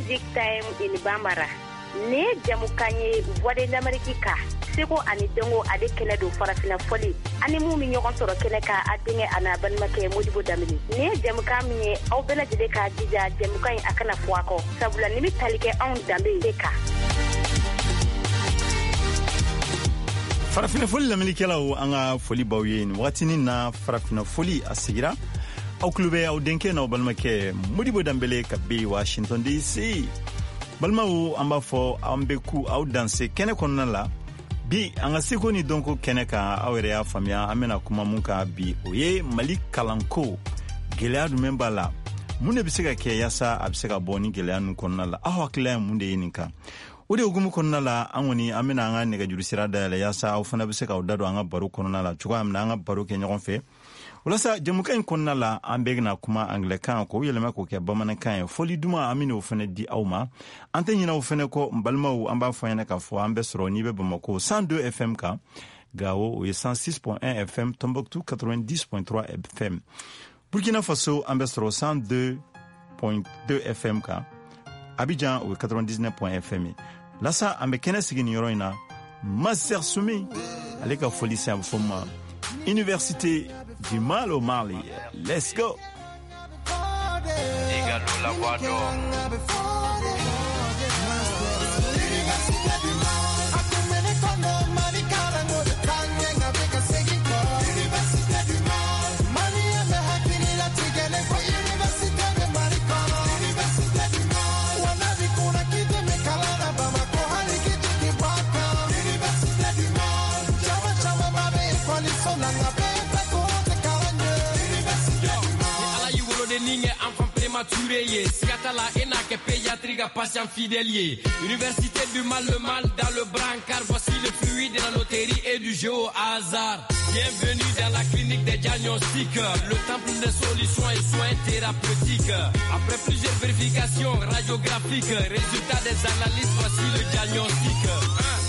Music Time in Bambara. Nin ye jamukan ye Voix de l'Amérique ka seko ani dɔnko ale kɛnɛ don farafina fɔli ani mun bɛ ɲɔgɔn sɔrɔ kɛnɛ kan a denkɛ a n'a balimakɛ Modibo Danbele. Nin ye jamukan min ye aw bɛɛ lajɛlen k'a jija jamukan in a kana fɔ a kɔ sabula nin bɛ tali kɛ anw danbe de kan. Farafinna foli lamɛnnikɛlaw, an ka foli b'aw ye nin wagatinin na. Farafinna foli a sigira, aw tulo bɛ aw denkɛ n'aw balimakɛ Modibo Danbele ka bɛ Washington DC. Balimaw, an b'a fɔ an bɛ ku aw danse kɛnɛ kɔnɔna la bi, an ka seko ni dɔnko kɛnɛ kan. Aw yɛrɛ y'a faamuya, an bɛna kuma mun kan bi, o ye Mali kalanko gɛlɛya jumɛn b'a la, mun de bɛ se ka kɛ yaasa a bɛ se ka bɔ ni gɛlɛya ninnu kɔnɔna la. Aw hakilila ye mun de ye nin kan? O de hukumu kɔnɔna la, an kɔni an bɛna an ka nɛgɛjuru sira dayɛlɛ yaasa aw fana bɛ se k'aw da don an ka baro kɔnɔna la cogoya min na, an ka baro kɛ ɲɔgɔn fɛ. Walasa jamukan in kɔnɔna la, an bɛ na kuma angilɛkan k'o yɛlɛma k'o kɛ bamanankan ye. Fɔli duman, an bɛn'o fana di aw ma. An tɛ ɲinɛ o fana kɔ. N balimaw, an b'a fɔ ɲɛna k'a fɔ an bɛ sɔrɔ n'i bɛ Bamako 102 FM kan, Gawo o ye 106.1 FM, Tombouctou 90.3 FM, Burkina Faso an bɛ sɔrɔ 102.2 FM kan, Abidjan o ye 99 FM ye. Lasa an bɛ kɛnɛ sigi nin yɔrɔ in na, Master Sumi ale ka foli sen, a bɛ fɔ ma Université du Mal au Mali. Let's go. La voix d'or. Université du Mal. Université du Mal. Malien bɛ hakili latigɛlen ko université bɛ Mali kɔnɔ. Université du Mal. Wa n'a b'i kunna k'i dɛmɛ kalan na Bamakɔ, hali k'i jigi bɔ a kan. Université du Mal. Caman camanba bɛ ekɔliso la, nka bɛɛ tɛ ko tɛ kalan ɲɛ. Université du Mal. Ni Ala y'i woloden kɛ enfant prématuré ye, siga t'a la, e n'a kɛ pédiatrie ka patient fidèle ye. Université du mal, le mal dans le brancard, voici le fruit de la loterie et du jeu au hasard. Bienvenue dans la clinique des diagnostics, le temple des solutions et soins thérapeutiques. Après plusieurs vérifications radiographiques, résultat des analyses, voici le diagnostic.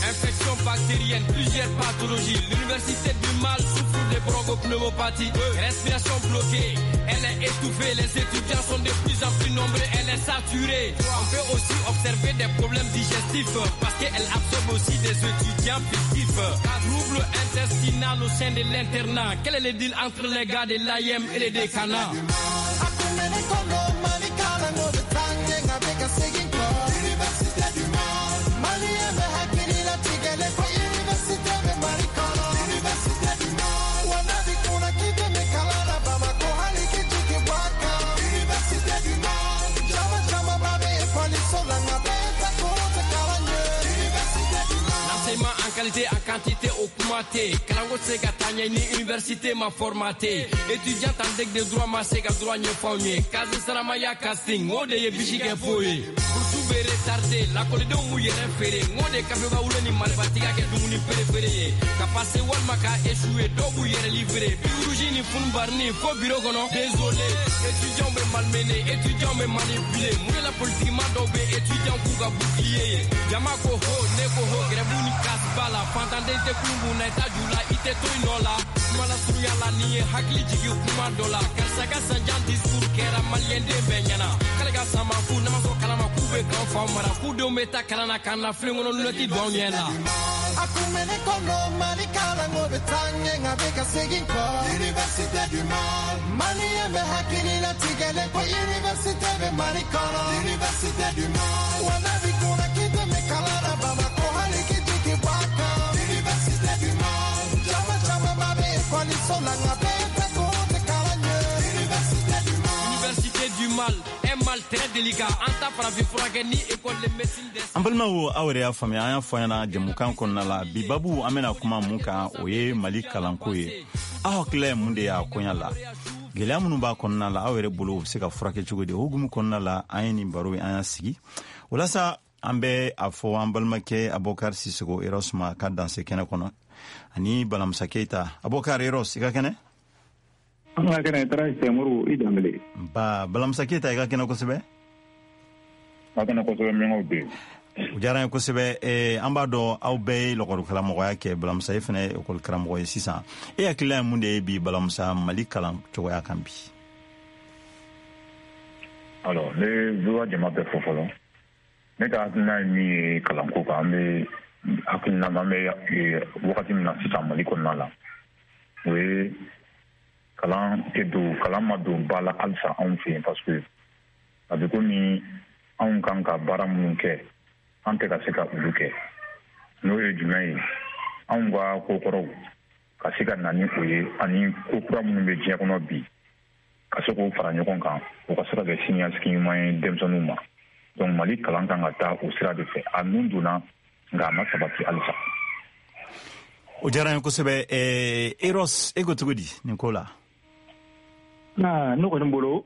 1. Infection bactérienne, plusieurs pathologies. L'université du mal souffre de bronchopneumopathie. Respiration bloquée, elle est étouffée. Les étudiants sont de plus en plus nombreux, elle est saturée. On peut aussi observer des problèmes digestifs parce qu'elle absorbe aussi des étudiants fictifs. Trouble intestinal au sein de l'internat. Quel est le deal entre les gars de l'AEEM et les décanats? A kun bɛ ne kɔnɔ, Mali kalanko bɛ taa ɲɛ, nka bɛ ka segin kɔ. Université du Mal. Malien bɛ hakili latigɛlen ko université bɛ Mali kɔnɔ. Université du Mal. Wa n'a b'i kunna k'i dɛmɛ kalan na Bamakɔ, hali k'i jigi bɔ a kan. Université du Mal. Caman camanba bɛ ekɔliso la, nka bɛɛ tɛ ko tɛ kalan ɲɛ. Université du Mal. L'enseignement en qualité, en quantité au kuma tɛ. Kalanko tɛ se ka taa ɲɛ ni université ma formaté. Étudiant en deck de droit ma se ka droit ɲɛfɔ anw ye. Case saramaya casting, o de ye bisi kɛ fo ye. Bourse bɛ retardé, lakɔlidenw b'u yɛrɛ feere. N de kafe wolo ni marifatigiya kɛ dumuni perefere ye. Ka passer walima ka échouer, dɔw b'u yɛrɛ livrer. Birouji ni funbarni fo bureau kɔnɔ. Désolé, étudiants bɛ malmené, étudiants bɛ manipulé. Mun de la politiquement dɔw bɛ étudiants k'u ka bouclier ye? Jama ko ho, ne ko ho, grève ni casse b'a la. Fantanden tɛ kulun kun na, i t'a ju la, i tɛ to i nɔ la. Kuma la surunya la, nin ye hakili jigin kuma dɔ la. Karisa ka sanjan discours kɛra maliyɛnden bɛɛ ɲɛna. K'ale ka sama k'u n'a ma sɔn kalama k'u bɛ k'an fa mara. K'u denw bɛ taa kalan na k'an na filen kɔnɔ lunette don anw ɲɛ la. A kun bɛ ne kɔnɔ, Mali kalanko bɛ taa ɲɛ, nka bɛ ka segin kɔ. Université du Mal. Malien bɛ hakili latigɛlen ko université bɛ Mali kɔnɔ. Université du Mal. Wa n'a b'i kunna k'i dɛmɛ kalan na Bamakɔ, hali k'i jigi bɔ a kan. Université du Mal. Caman camanba bɛ ekɔliso la, nka bɛɛ tɛ ko tɛ kalan ɲɛ. Université du Mal. Université du mal, un mal très délicat. An ta farafin furakɛ ni école de médecine des An balimaw, aw yɛrɛ y'a faamuya, an y'a fɔ ɲɛna jamukan kɔnɔna la, bi babu an bɛna kuma mun kan, o ye Mali kalanko ye. Aw hakilila ye mun de y'a koɲa la? Gɛlɛya minnu b'a kɔnɔna la, aw yɛrɛ bolo, u bɛ se ka furakɛ cogo di? O hukumu kɔnɔna la, an ye nin baro an y'a sigi. Walasa an bɛ a fɔ an balimakɛ Abubakar Sisoko Eros ma ka danse kɛnɛ kɔnɔ ani Balamusa Keyita. Abubakar Eros, i ka kɛnɛ? An ka kɛnɛ, taara Sɛmuru i Danbele. Ba Balamusa Keyita, i ka kɛnɛ kosɛbɛ. Ka kɛnɛ kosɛbɛ, miyankaw bɛ yen. O diyara n ye kosɛbɛ. An b'a dɔn aw bɛɛ ye lɔkɔlikaramɔgɔya kɛ. Balamusa, e fana ye ekɔlikaramɔgɔ ye sisan. E hakilila ye mun de ye bi, Balamusa, Mali kalan cogoya kan bi? Alors, ne bɛ jama bɛɛ fo fɔlɔ. Ne ka hakilina ye min ye kalanko kan, an bɛ hakilina an bɛ wagati min na sisan Mali kɔnɔna la, o ye kalan tɛ don, kalan ma don ba la halisa anw fɛ yen, parce que a bɛ komi anw kan ka baara minnu kɛ, an tɛ ka se ka olu kɛ. N'o ye jumɛn ye? Anw ka kokɔrɔw ka se ka na ni o ye, ani ko kura minnu bɛ diɲɛ kɔnɔ bi, ka se k'o fara ɲɔgɔn kan, o ka se ka kɛ siniɲɛsigi ɲuman ye denmisɛnninw ma. Donc Mali kalan kan ka taa o sira de fɛ. A nun donna, nka a ma sabati halisa. O diyara n ye kosɛbɛ. Eros, e ko cogo di nin ko la? Ne kɔni bolo,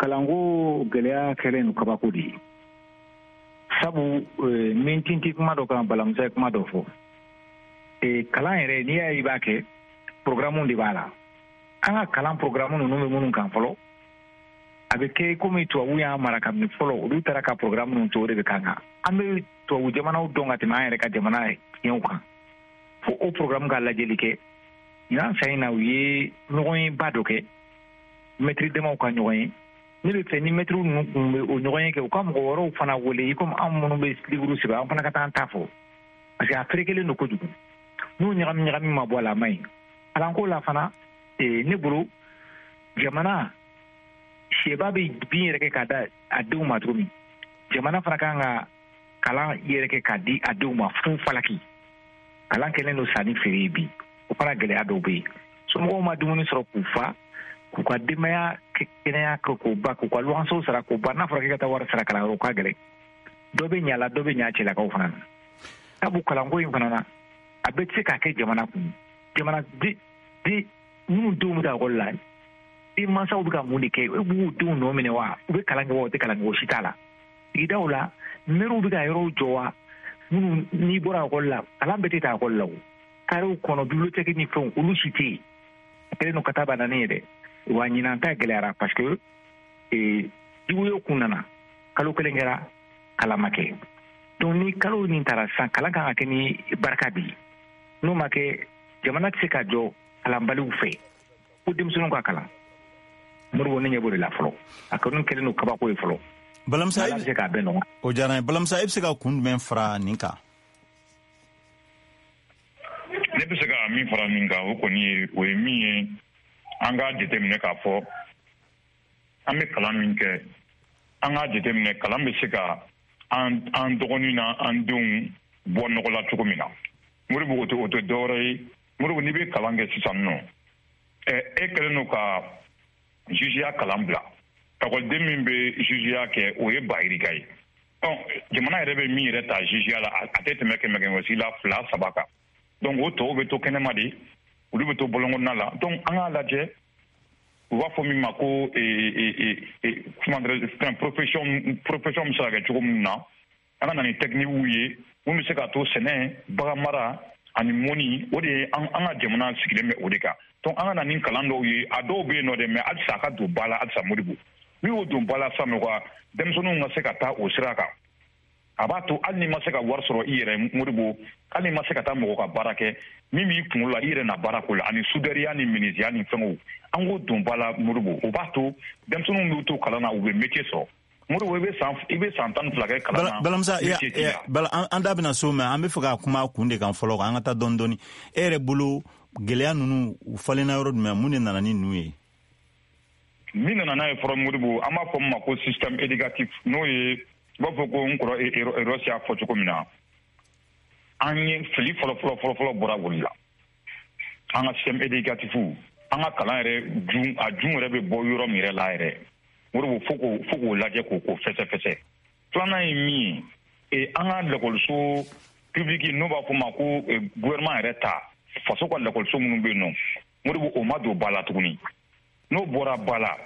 kalanko gɛlɛya kɛlen don kabako de ye, sabu min tinti kuma dɔ kan, Balamusa ye kuma dɔ fɔ. Kalan yɛrɛ, n'i y'a ye i b'a kɛ, programme de b'a la. An ka kalan programme ninnu bɛ minnu kan fɔlɔ, a bɛ kɛ komi tubabu y'an mara kabini fɔlɔ, olu taara ka programme ninnu to, o de bɛ kan kan. An bɛ tubabu jamanaw dɔn ka tɛmɛ an yɛrɛ ka jamana tiɲɛw kan, fo o programme ka lajɛli kɛ. Ɲinan san in na, u ye ɲɔgɔnyeba dɔ kɛ, mɛtiri damaw ka ɲɔgɔn ye. Ne bɛ fɛ ni mɛtiriw ninnu kun bɛ o ɲɔgɔn ye kɛ, u ka mɔgɔ wɛrɛw fana wele, i komi anw minnu bɛ livre sɛbɛn, an fana ka taa an ta fɔ, parce que a ferekelen don kojugu. N'o ɲagami ɲagami ma bɔ a la, a man ɲi. Kalanko la fana, ne bolo, jamana sɛba bɛ bin yɛrɛ kɛ k'a da a denw ma cogo min, jamana fana kan ka kalan yɛrɛ kɛ k'a di a denw ma fu falaki. Kalan kɛlen don sanni feere ye bi, o fana gɛlɛya dɔw bɛ yen. Somɔgɔw ma dumuni sɔrɔ k'u fa, k'u ka denbaya kɛnɛya k'o ba, k'u ka luwansew sara k'o ba. N'a fɔra k'i ka taa wari sara kalanyɔrɔ, ka gɛlɛn. Dɔ bɛ ɲa la, dɔ bɛ ɲa cɛlakaw fana na. Sabu kalanko in fana na, a bɛɛ tɛ se k'a kɛ jamana kun. Jamana di minnu denw bɛ taa ekɔli la, i mansaw bɛ ka mun de kɛ? E b'u denw nɔ minɛ wa? U bɛ kalan kɛ wa? U tɛ kalan kɛ, o si t'a la. Sigidaw la, mɛriw bɛ ka yɔrɔw jɔ wa? Minnu n'i bɔra ekɔli la, kalan bɛɛ tɛ taa ekɔli la o. Karew kɔnɔ, bibliothèque ni fɛnw, olu si tɛ yen. A kɛlen don ka taa banani ye dɛ. Wa ɲinan ta gɛlɛyara, parce que juguyo kun nana, kalo kelen kɛra, kalan ma kɛ. Donc ni kalo nin taara sisan, kalan kan ka kɛ ni barika de ye. N'o ma kɛ, jamana tɛ se ka jɔ kalanbaliw fɛ. Ko denmisɛnninw ka kalan, Moribo, ne ɲɛ b'o de la fɔlɔ. A kɔni kɛlen don kabako ye fɔlɔ. Balamisa, Ala bɛ se k'a bɛɛ nɔgɔya. O diyara n ye. Balamisa, e bɛ se ka kun jumɛn fara nin kan? Ne bɛ se ka min fara nin kan, o kɔni ye, o ye min ye, an k'a jateminɛ k'a fɔ an bɛ kalan min kɛ, an k'a jateminɛ kalan bɛ se ka an dɔgɔnin na an denw bɔ nɔgɔ la cogo min na. Moribo, o tɛ dɔwɛrɛ ye. Moribo, n'i bɛ kalan kɛ sisan nɔ, e kɛlen don ka jugeya kalan bila. Ekɔliden min bɛ jugeya kɛ, o ye 300 ye. Jamana yɛrɛ bɛ min yɛrɛ ta jugeya la, a tɛ tɛmɛ 100 la 2-3 kan. Donc o tɔw bɛ to kɛnɛma de, olu bɛ to bɔlɔnkɔnɔna la. Donc an k'a lajɛ, u b'a fɔ min ma ko profession bɛ se ka kɛ cogo min na, an ka na ni technique ye mun bɛ se ka to sɛnɛ, bagan mara ani mɔni, o de ye an ka jamana sigilen bɛ o de kan. Donc an ka na ni kalan dɔw ye, a dɔw bɛ yen nɔ dɛ, mais halisa a ka don ba la halisa. Moribo, n'i y'o don ba la sisan nɔ, ka denmisɛnninw ka se ka taa o sira kan, a b'a to hali n'i ma se ka wari sɔrɔ i yɛrɛ, Moribo, hali n'i ma se ka taa mɔgɔ ka baara kɛ, min b'i kunkolo la, i yɛrɛ na baara ko la, ani sudɛriya ni minisiya ni fɛngɛw, an k'o don ba la Moribo. O b'a to denmisɛnninw b'u to kalan na, u bɛ métier sɔrɔ. Moribo, i bɛ san 12 kɛ kalan na. Balamisa, an da bɛna so, mais an bɛ fɛ ka kuma kun de kan fɔlɔ, an ka taa dɔɔni dɔɔni. E yɛrɛ bolo, gɛlɛya ninnu u falenna yɔrɔ jumɛn? Mun de nana ni ninnu ye? Min nana n'a ye fɔlɔ, Moribo, an b'a fɔ min ma ko système éducatif, n'o ye i b'a fɔ ko n kɔrɔ Eros y'a fɔ cogo min na, an ye fili fɔlɔ fɔlɔ fɔlɔ fɔlɔ bɔra wuli la. An ka système éducatif, an ka kalan yɛrɛ jun, a jun yɛrɛ bɛ bɔ yɔrɔ min yɛrɛ la yɛrɛ, Moribo, fo k'o lajɛ k'o fɛsɛfɛsɛ. Filanan ye min ye, an ka lakɔliso public, n'o b'a fɔ ma ko gouvernement yɛrɛ ta, faso ka lakɔliso minnu bɛ yen nɔ, Moribo, o ma don ba la tuguni. N'o bɔra ba la,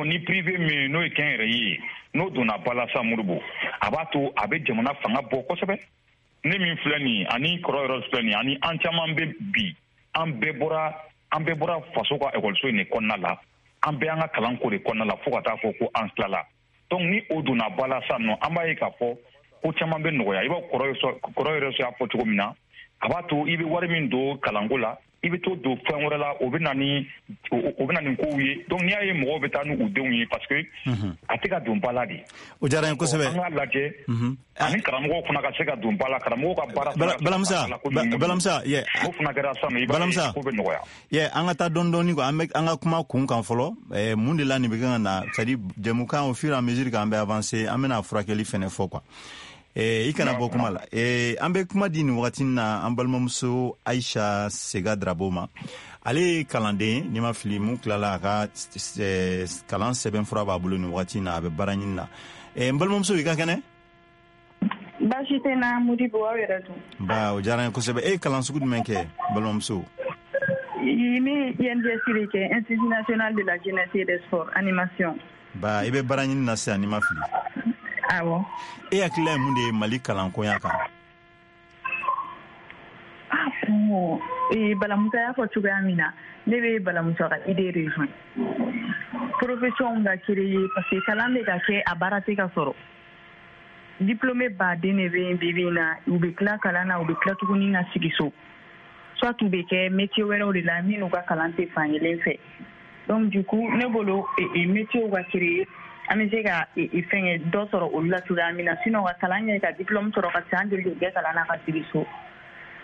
ni privé min n'o ye kɛnyɛrɛye ye, n'o donna ba la sa, Moribo, a b'a to a bɛ jamana fanga bɔ kosɛbɛ. Ne min filɛ nin ye, ani kɔrɔ yɛrɛ filɛ nin ye, ani an caman bɛ bi, an bɛɛ bɔra faso ka ekɔliso in de kɔnɔna la, an bɛɛ an ka kalanko de kɔnɔna la, fo ka taa fɔ ko an tilala. Donc ni o donna ba la sa nɔ, an b'a ye k'a fɔ ko caman bɛ nɔgɔya. I b'a kɔrɔ yɛrɛ y'a fɔ cogo min na, a b'a to i bɛ wari min don kalanko la, i I bɛ to don fɛn wɛrɛ la, o bɛ na ni kow ye. Donc n'i y'a ye mɔgɔw bɛ taa n'u denw ye, parce que a tɛ ka don ba la de. O diyara n ye kosɛbɛ. An k'a lajɛ ani karamɔgɔw fana ka se ka don ba la, karamɔgɔw ka baara. Balamusa, Balamusa, yɛ. O fana kɛra sisan, i b'a ye ko bɛ nɔgɔya. Yɛ, an ka taa dɔɔni dɔɔni quoi, an bɛ an ka kuma kun kan fɔlɔ. Mun de la nin bɛ kan ka na, c'est à dire jɛmukan, au fur et à mesure k'an bɛ avancer, an bɛna furakɛli fɛnɛ fɔ quoi. I kana bɔ kuma la. An bɛ kuma di nin wagati na an balimamuso Aisha Sega Drabo ma. Ale ye kalanden, n'i ma fili, mun tilala a ka kalan sɛbɛnfura b'a bolo nin wagati na, a bɛ baara ɲini na. N balimamuso, i ka kɛnɛ? Baasi tɛ n na, Modibo, aw yɛrɛ dun? Ba, o diyara n ye kosɛbɛ. E ye kalan sugu jumɛn kɛ, balimamuso? Ne ye INJS de kɛ, Institut national de la jeunesse et des sports, animation. Ba, i bɛ baara ɲini na sisan, n'i ma fili? Awɔ. E hakilila ye mun de ye Mali kalankoya kan? Ah bon, Balamusa y'a fɔ cogoya min na, ne bɛ Balamusa ka idée rejoint. Profession ka créer, parce que kalan bɛ ka kɛ, a baara tɛ ka sɔrɔ. Diplômé baden de bɛ yen bi bi in na, u bɛ tila kalan na, u bɛ tila tuguni ka sigi so. Soit u bɛ kɛ métier wɛrɛw de la min n'u ka kalan tɛ fan kelen fɛ. Donc du coup, ne bolo, métier ka créer, an bɛ se ka fɛnkɛ dɔ sɔrɔ olu la cogoya min na. Sinon ka kalan kɛ, ka diplôme sɔrɔ, ka san joli kɛ kalan na, ka sigi so,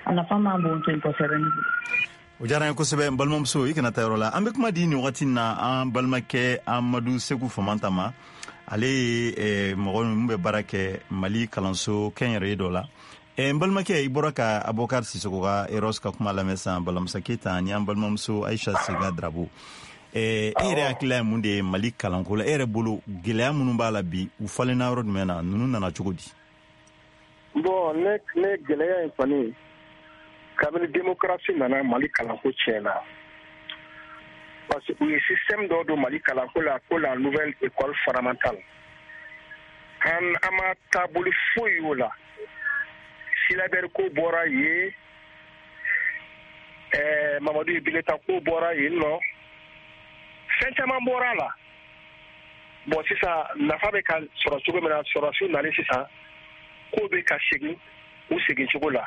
a nafa man bon ten kosɛbɛ ne bolo. O diyara n ye kosɛbɛ, n balimamuso. I kana taa yɔrɔ la. An bɛ kuma di nin wagati na an balimakɛ Amadu Segu Famanta ma. Ale ye mɔgɔ min bɛ baara kɛ Mali kalanso kɛnyɛrɛye dɔ la. N balimakɛ, i bɔra ka Abubakar Sisoko ka Eros ka kuma lamɛn sisan, Balamusa Keyita ani an balimamuso Aisha Sega Drabo. E yɛrɛ hakilila ye mun de ye Mali kalanko la? E yɛrɛ bolo, gɛlɛya minnu b'a la bi, u falenna yɔrɔ jumɛn na? Ninnu nana cogo di? Bon, ne gɛlɛya in kɔni, kabini démocratie nana, Mali kalanko tiɲɛna, parce que u ye système dɔ don Mali kalanko la, ko la nouvelle école fondamentale. An ma taabolo foyi y'o la. Syllabaire ko bɔra yen, Mamadu ye bulletin ko bɔra yen nɔ, fɛn caman bɔra a la. Bon, sisan nafa bɛ ka sɔrɔ cogo min na, sɔrɔsiw nalen sisan, ko bɛ ka segin u segin cogo la.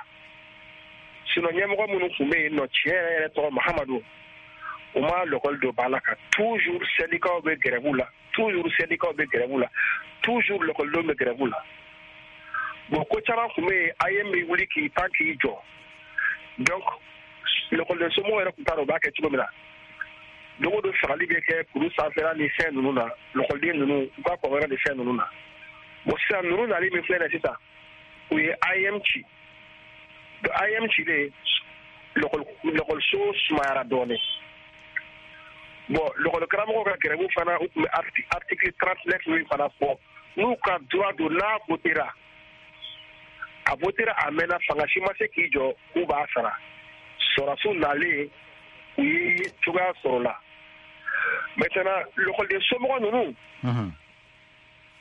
Sinon ɲɛmɔgɔ minnu tun bɛ yen nɔ, tiɲɛ yɛrɛ yɛrɛ tɔgɔ Mahamadu, u ma lɔkɔli don ba la ka toujours syndicats bɛ grève la, toujours syndicats bɛ grève la, toujours lɔkɔlidenw bɛ grève la. Bon, ko caman tun bɛ yen, AEM bɛ wuli k'i pan k'i jɔ. Donc lɔkɔliden somɔgɔw yɛrɛ tun t'a dɔn u b'a kɛ cogo min na. Don o don fagali bɛ kɛ kuru sanfɛla ni fɛn ninnu na, lɔkɔliden ninnu u ka kɔngɔrɛ ni fɛn ninnu na. Bon, sisan ninnu nali min filɛ nin ye sisan, u ye AEM ci. Donc AEM cilen, lɔkɔliso sumayara dɔɔnin. Bon, lɔkɔlikaramɔgɔw ka grève fana, u tun bɛ article 39 min fana fɔ, n'u ka droit don, n'a votera, a votera, a mɛnna, fanga si ma se k'i jɔ k'u b'a sara. Sɔrɔsiw nalen, u ye cogoya sɔrɔ la. Maintenant lɔkɔliden somɔgɔ ninnu,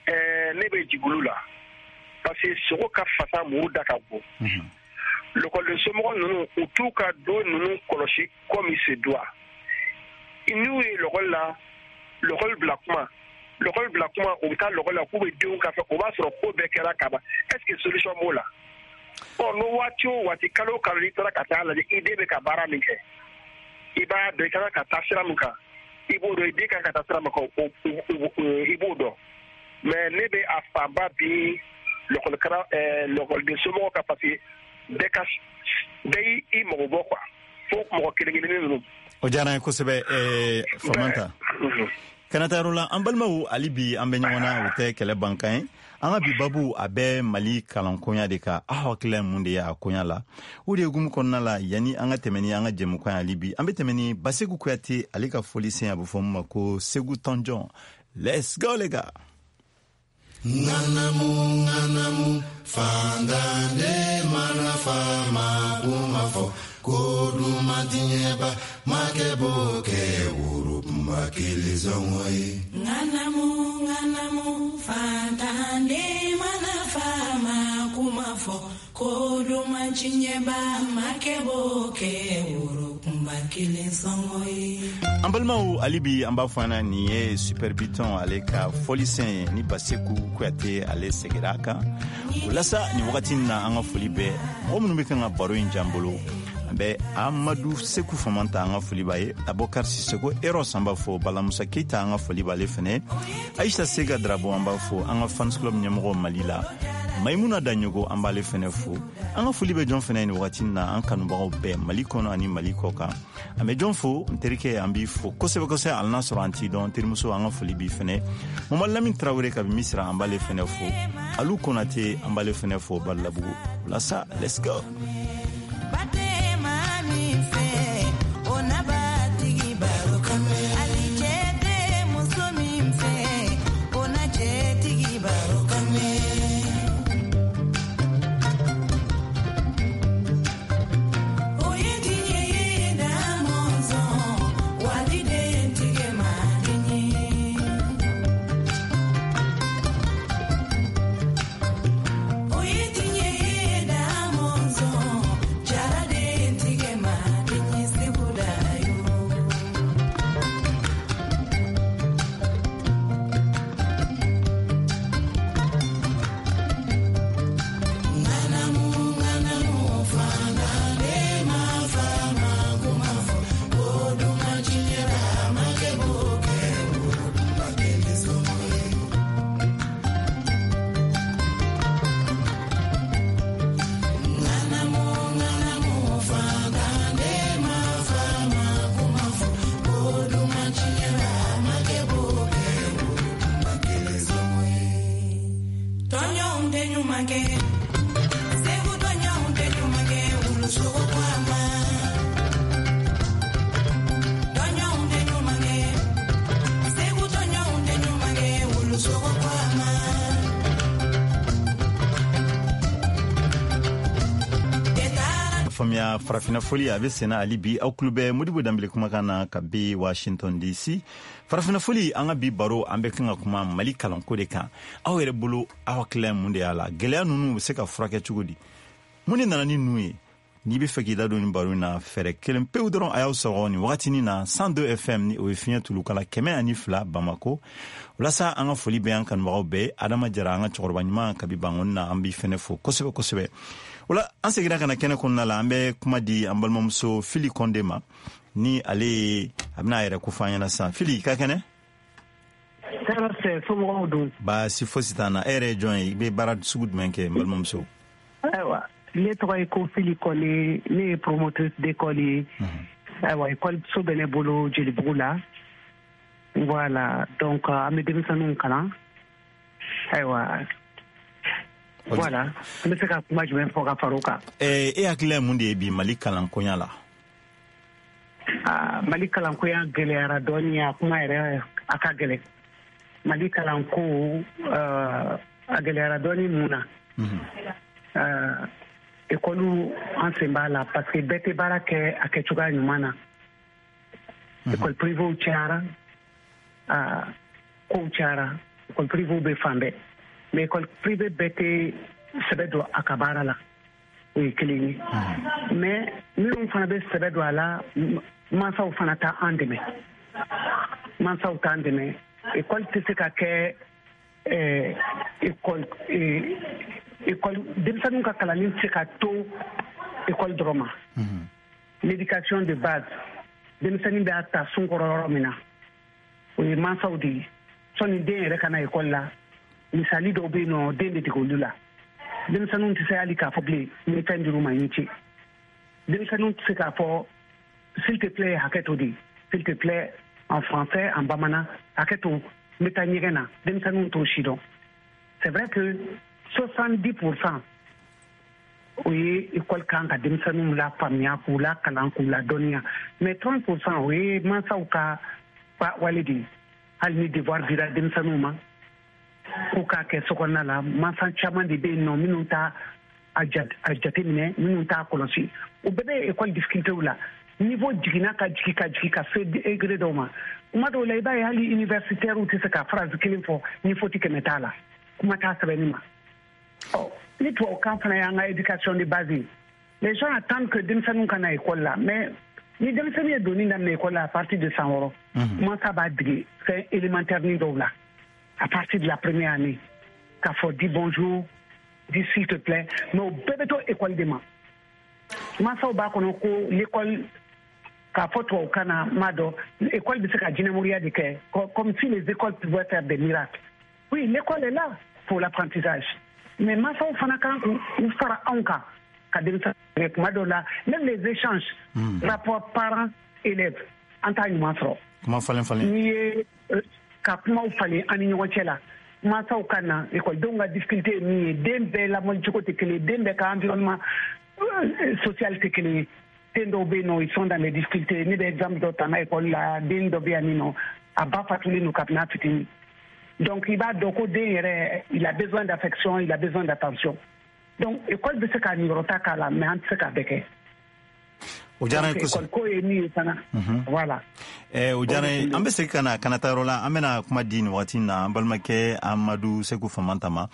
ne bɛ jigin olu la, parce que sogo ka fasa, muru da ka bon. Lɔkɔliden somɔgɔ ninnu, u t'u ka don ninnu kɔlɔsi comme il se doit. N'u ye lɔkɔli la, lɔkɔli bila kuma, lɔkɔli bila kuma, u bɛ taa lɔkɔli la k'u bɛ denw ka fɛ, o b'a sɔrɔ ko bɛɛ kɛra ka ban. Est ce que solution b'o la? Ɔ, n'o waati o waati, kalo o kalo, n'i taara ka taa lajɛ i den bɛ ka baara min kɛ, i b'a dɔn i ka kan ka taa sira min kan, i b'o dɔn, i den ka kan ka taa sira min kan, i b'o dɔn. Mais ne bɛ a fanba bi lɔkɔliden somɔgɔw kan, parce que bɛɛ ka bɛɛ y'i mago bɔ quoi, fo mɔgɔ kelen kelennin ninnu. O diyara n ye kosɛbɛ, Famanta. Kana taa yɔrɔ la, an balimaw, hali bi an bɛ ɲɔgɔn na, o tɛ kɛlɛ bankan ye. An ka bi babu, a bɛ Mali kalankoɲa de kan. Aw hakilila ye mun de ye a koɲa la? O de hukumu kɔnɔna la, yanni an ka tɛmɛ ni an ka jɛmukan ye, hali bi an bɛ tɛmɛ ni Baseku Kuyate ale ka fɔlisen, a bɛ fɔ min ma ko Segu Tɔnjɔn. Let's go les gars. Ŋanamu ŋanamu fandande mana fama kuma fɔ ko duman tiɲɛba makɛ b'o kɛ woro kunba kelen sɔngɔ ye. Ŋanamu ŋanamu fandande mana fama kuma fɔ ko duman tiɲɛba makɛ b'o kɛ woro kunba kelen sɔngɔ ye. An balimaw, hali bi an b'a fɔ an na, nin ye Super Biton ale ka fɔlisen ye ni Baseku Kuyate ale segira a kan. O la sa, nin wagati in na, an ka foli bɛ mɔgɔ minnu bɛ kan ka baro in jan bolo. An An bɛ Amadu Seku Famanta, an ka foli b'a ye. Abokar Sisoko Eros, an b'a fo. Balamusa Keita, an ka foli b'ale fɛnɛ. Aisha Sega Drabo, an b'a fo. An ka fans club ɲɛmɔgɔ Mali la, Maimuna Daɲogo, an b'ale fɛnɛ fo. An ka foli bɛ jɔn fɛnɛ nin wagati na? An kanubagaw bɛɛ, Mali kɔnɔ ani Mali kɔ kan. An bɛ jɔn fo? N terikɛ, an b'i fo kosɛbɛ kosɛbɛ, hali n'a sɔrɔ an t'i dɔn. Terimuso, an ka foli b'i fɛnɛ. Mamadu Lamin Tarawele kabi Misira, an b'ale fɛnɛ fo. Alu Konate, an b'ale fɛnɛ fo Balabugu. Walasa, let's go. Faamuya, Farafina foli a bɛ senna hali bi. Aw tulo bɛ Modibo Danbele kumakan na ka bi Washington DC. Farafina foli, an ka bi baro, an bɛ kan ka kuma Mali kalanko de kan. Aw yɛrɛ bolo, aw hakilila ye mun de y'a la? Gɛlɛya ninnu bɛ se ka furakɛ cogo di? Mun de nana ni ninnu ye? N'i bɛ fɛ k'i da don nin baro in na, fɛɛrɛ kelen pewu dɔrɔn, a y'aw sɔgɔ nin wagatinin na 102 FM, ni o ye fiɲɛ tulukala 102 Bamako. Walasa an ka foli bɛ an kanubagaw bɛɛ. Adama Jara, an ka cɛkɔrɔba ɲuman kabi Bangoni na, an b'i fɛnɛ fo kosɛbɛ kosɛbɛ. Wala an seginna ka na kɛnɛ kɔnɔna la, an bɛ kuma di an balimamuso Fili Kɔnde ma, ni ale ye a bɛna a yɛrɛ ko fɔ an ɲɛna sisan. Fili, ka kɛnɛ? Somɔgɔw dun? Baasi fosi t'an na. E yɛrɛ ye jɔn ye? I bɛ baara sugu jumɛn kɛ, n balimamuso? Ayiwa, ne tɔgɔ ye ko Fili Kɔnde, ne ye promotrice d'école ye. Ayiwa, école so bɛ ne bolo Jelibugu la. Voilà, donc an bɛ denmisɛnninw kalan. Ayiwa, voilà, an bɛ se ka kuma jumɛn fɔ ka fara o kan? E hakilila ye mun de ye bi Mali kalankoɲa la? Mali kalankoya gɛlɛyara dɔɔni, a kuma yɛrɛ a ka gɛlɛn. Mali kalanko a gɛlɛyara dɔɔni. Mun na? Ekɔliw, an sen b'a la, parce que bɛɛ tɛ baara kɛ a kɛcogoya ɲuman na. École privéw cayara, kow cayara. École privéw bɛ fan bɛɛ, mais école privée bɛɛ tɛ sɛbɛ don a ka baara la, o ye kelen ye. Mais minnu fana bɛ sɛbɛ don a la, mansaw fana t'an dɛmɛ, mansaw t'an dɛmɛ. École tɛ se ka kɛ école école, denmisɛnninw ka kalanni tɛ se ka to école dɔrɔn ma. L'éducation de base, denmisɛnnin b'a ta sun kɔrɔ yɔrɔ min na, o ye mansaw de ye. Sɔnni den yɛrɛ ka na école la, misali dɔw bɛ yen nɔ, den bɛ dege olu la. Denmisɛnninw tɛ se hali k'a fɔ bilen ni fɛn dir'u ma, i ni ce. Denmisɛnninw tɛ se k'a fɔ s'il te plaît, hakɛ to de, s'il te plaît en français, en bamanan, hakɛ to, n bɛ taa ɲɛgɛn na. Denmisɛnninw t'o si dɔn. C'est vrai que 70 %, o ye école kan ka denmisɛnninw la faamuya, k'u la kalan, k'u la dɔnniya, mais 30 %, o ye mansaw ka wale de ye. Hali ni devoir dira denmisɛnninw ma k'u k'a kɛ sokɔnɔna la, mansa caman de bɛ yen nɔ minnu t'a a jateminɛ, minnu t'a kɔlɔsi. O bɛɛ bɛ école difficulté la. Niveau jiginna ka jigin ka jigin ka se degré dɔw ma. Kuma dɔw la, i b'a ye hali universitaires tɛ se ka phrase kelen fɔ ni faute 100 t'a la, kuma t'a sɛbɛnni ma. Ɔ ni tubabukan fana y'an ka éducation de base ye, les gens attendent que denmisɛnninw ka na école la. Mais ni denmisɛnnin ye donni daminɛ école la à partir de san 6, mansa b'a dege fɛn élémentaire ni dɔw la à partir de la première année, k'a fɔ dis bonjour, dis s'il te plaît, mais o bɛɛ bɛ to école de ma. Mansaw b'a kɔnɔ ko l'école, k'a fɔ tubabukan na, m'a dɔn, école bɛ se ka jinɛmoriya de kɛ, comme si les écoles pouvaient faire des miracles. Oui, l'école est là pour l'apprentissage, mais mansaw fana kan k'u fara anw kan ka denmisɛnnin. Kuma dɔw la, même les échanges, rapport parents élèves, an t'a ɲuman sɔrɔ. Kuma falen falen. N'i ye ka kumaw falen an ni ɲɔgɔn cɛ la, mansaw ka na, ekɔlidenw ka difficulté ye min ye, den bɛɛ lamɔli cogo tɛ kelen ye, den bɛɛ ka environnement social tɛ kelen ye. Den dɔw bɛ yen nɔ, ils sont dans les difficultés. Ne bɛ exemple dɔ ta n ka école la, den dɔ bɛ yan nɔ, a ba fatulen don kabini a fitinin. Donc i b'a dɔn ko den yɛrɛ, il a besoin d'affection, il a besoin d'attention. Donc école bɛ se k'a niyɔrɔ ta k'a la, mais an tɛ se k'a bɛɛ kɛ. O diyara n ye kosɛbɛ. École ko ye min ye fana, voilà. O diyara n ye. An bɛ segin ka na Kanata yɔrɔ la. An bɛna kuma di nin wagati in na an balimakɛ Amadu Seku Famanta ma.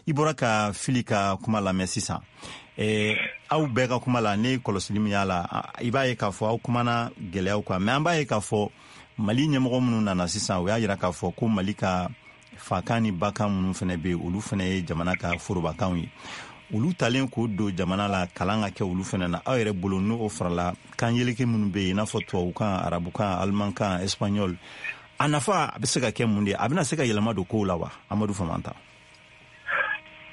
I bɔra ka Fili ka kuma lamɛn sisan. Aw bɛɛ ka kuma la, ne kɔlɔsili min y'a la, i b'a ye k'a fɔ aw kumana gɛlɛyaw kan, mais an b'a ye k'a fɔ Mali ɲɛmɔgɔ minnu nana sisan, u y'a yira k'a fɔ ko Mali ka fakan ni bakan minnu fana bɛ yen, olu fana ye jamana ka forobakanw ye. Olu talen k'o don jamana la, kalan ka kɛ olu fana na, aw yɛrɛ bolo, n'o farala kan yeleke minnu bɛ yen, i n'a fɔ tubabukan, arabukan, alimankan, espagnol, a nafa a bɛ se ka kɛ mun de ye? A bɛna se ka yɛlɛma don kow la wa, Amadu Famanta?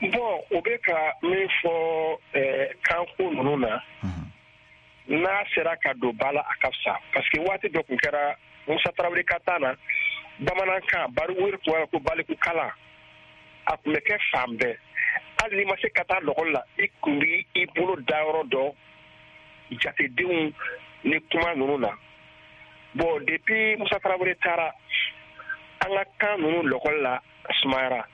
Bon, o bɛ ka min fɔ kanko ninnu na, n'a sera ka don ba la, a ka fisa, parce que waati dɔ tun kɛra Musa Tarawele ka taa na, bamanankan bariku tun ko baliku kalan, a tun bɛ kɛ fan bɛɛ. Hali n'i ma se ka taa lɔgɔli la, i tun b'i i bolo da yɔrɔ dɔ jatedenw ni kuma ninnu na. Bon, depuis Musa Tarawele taara, an ka kan ninnu lɔgɔli la sumayara.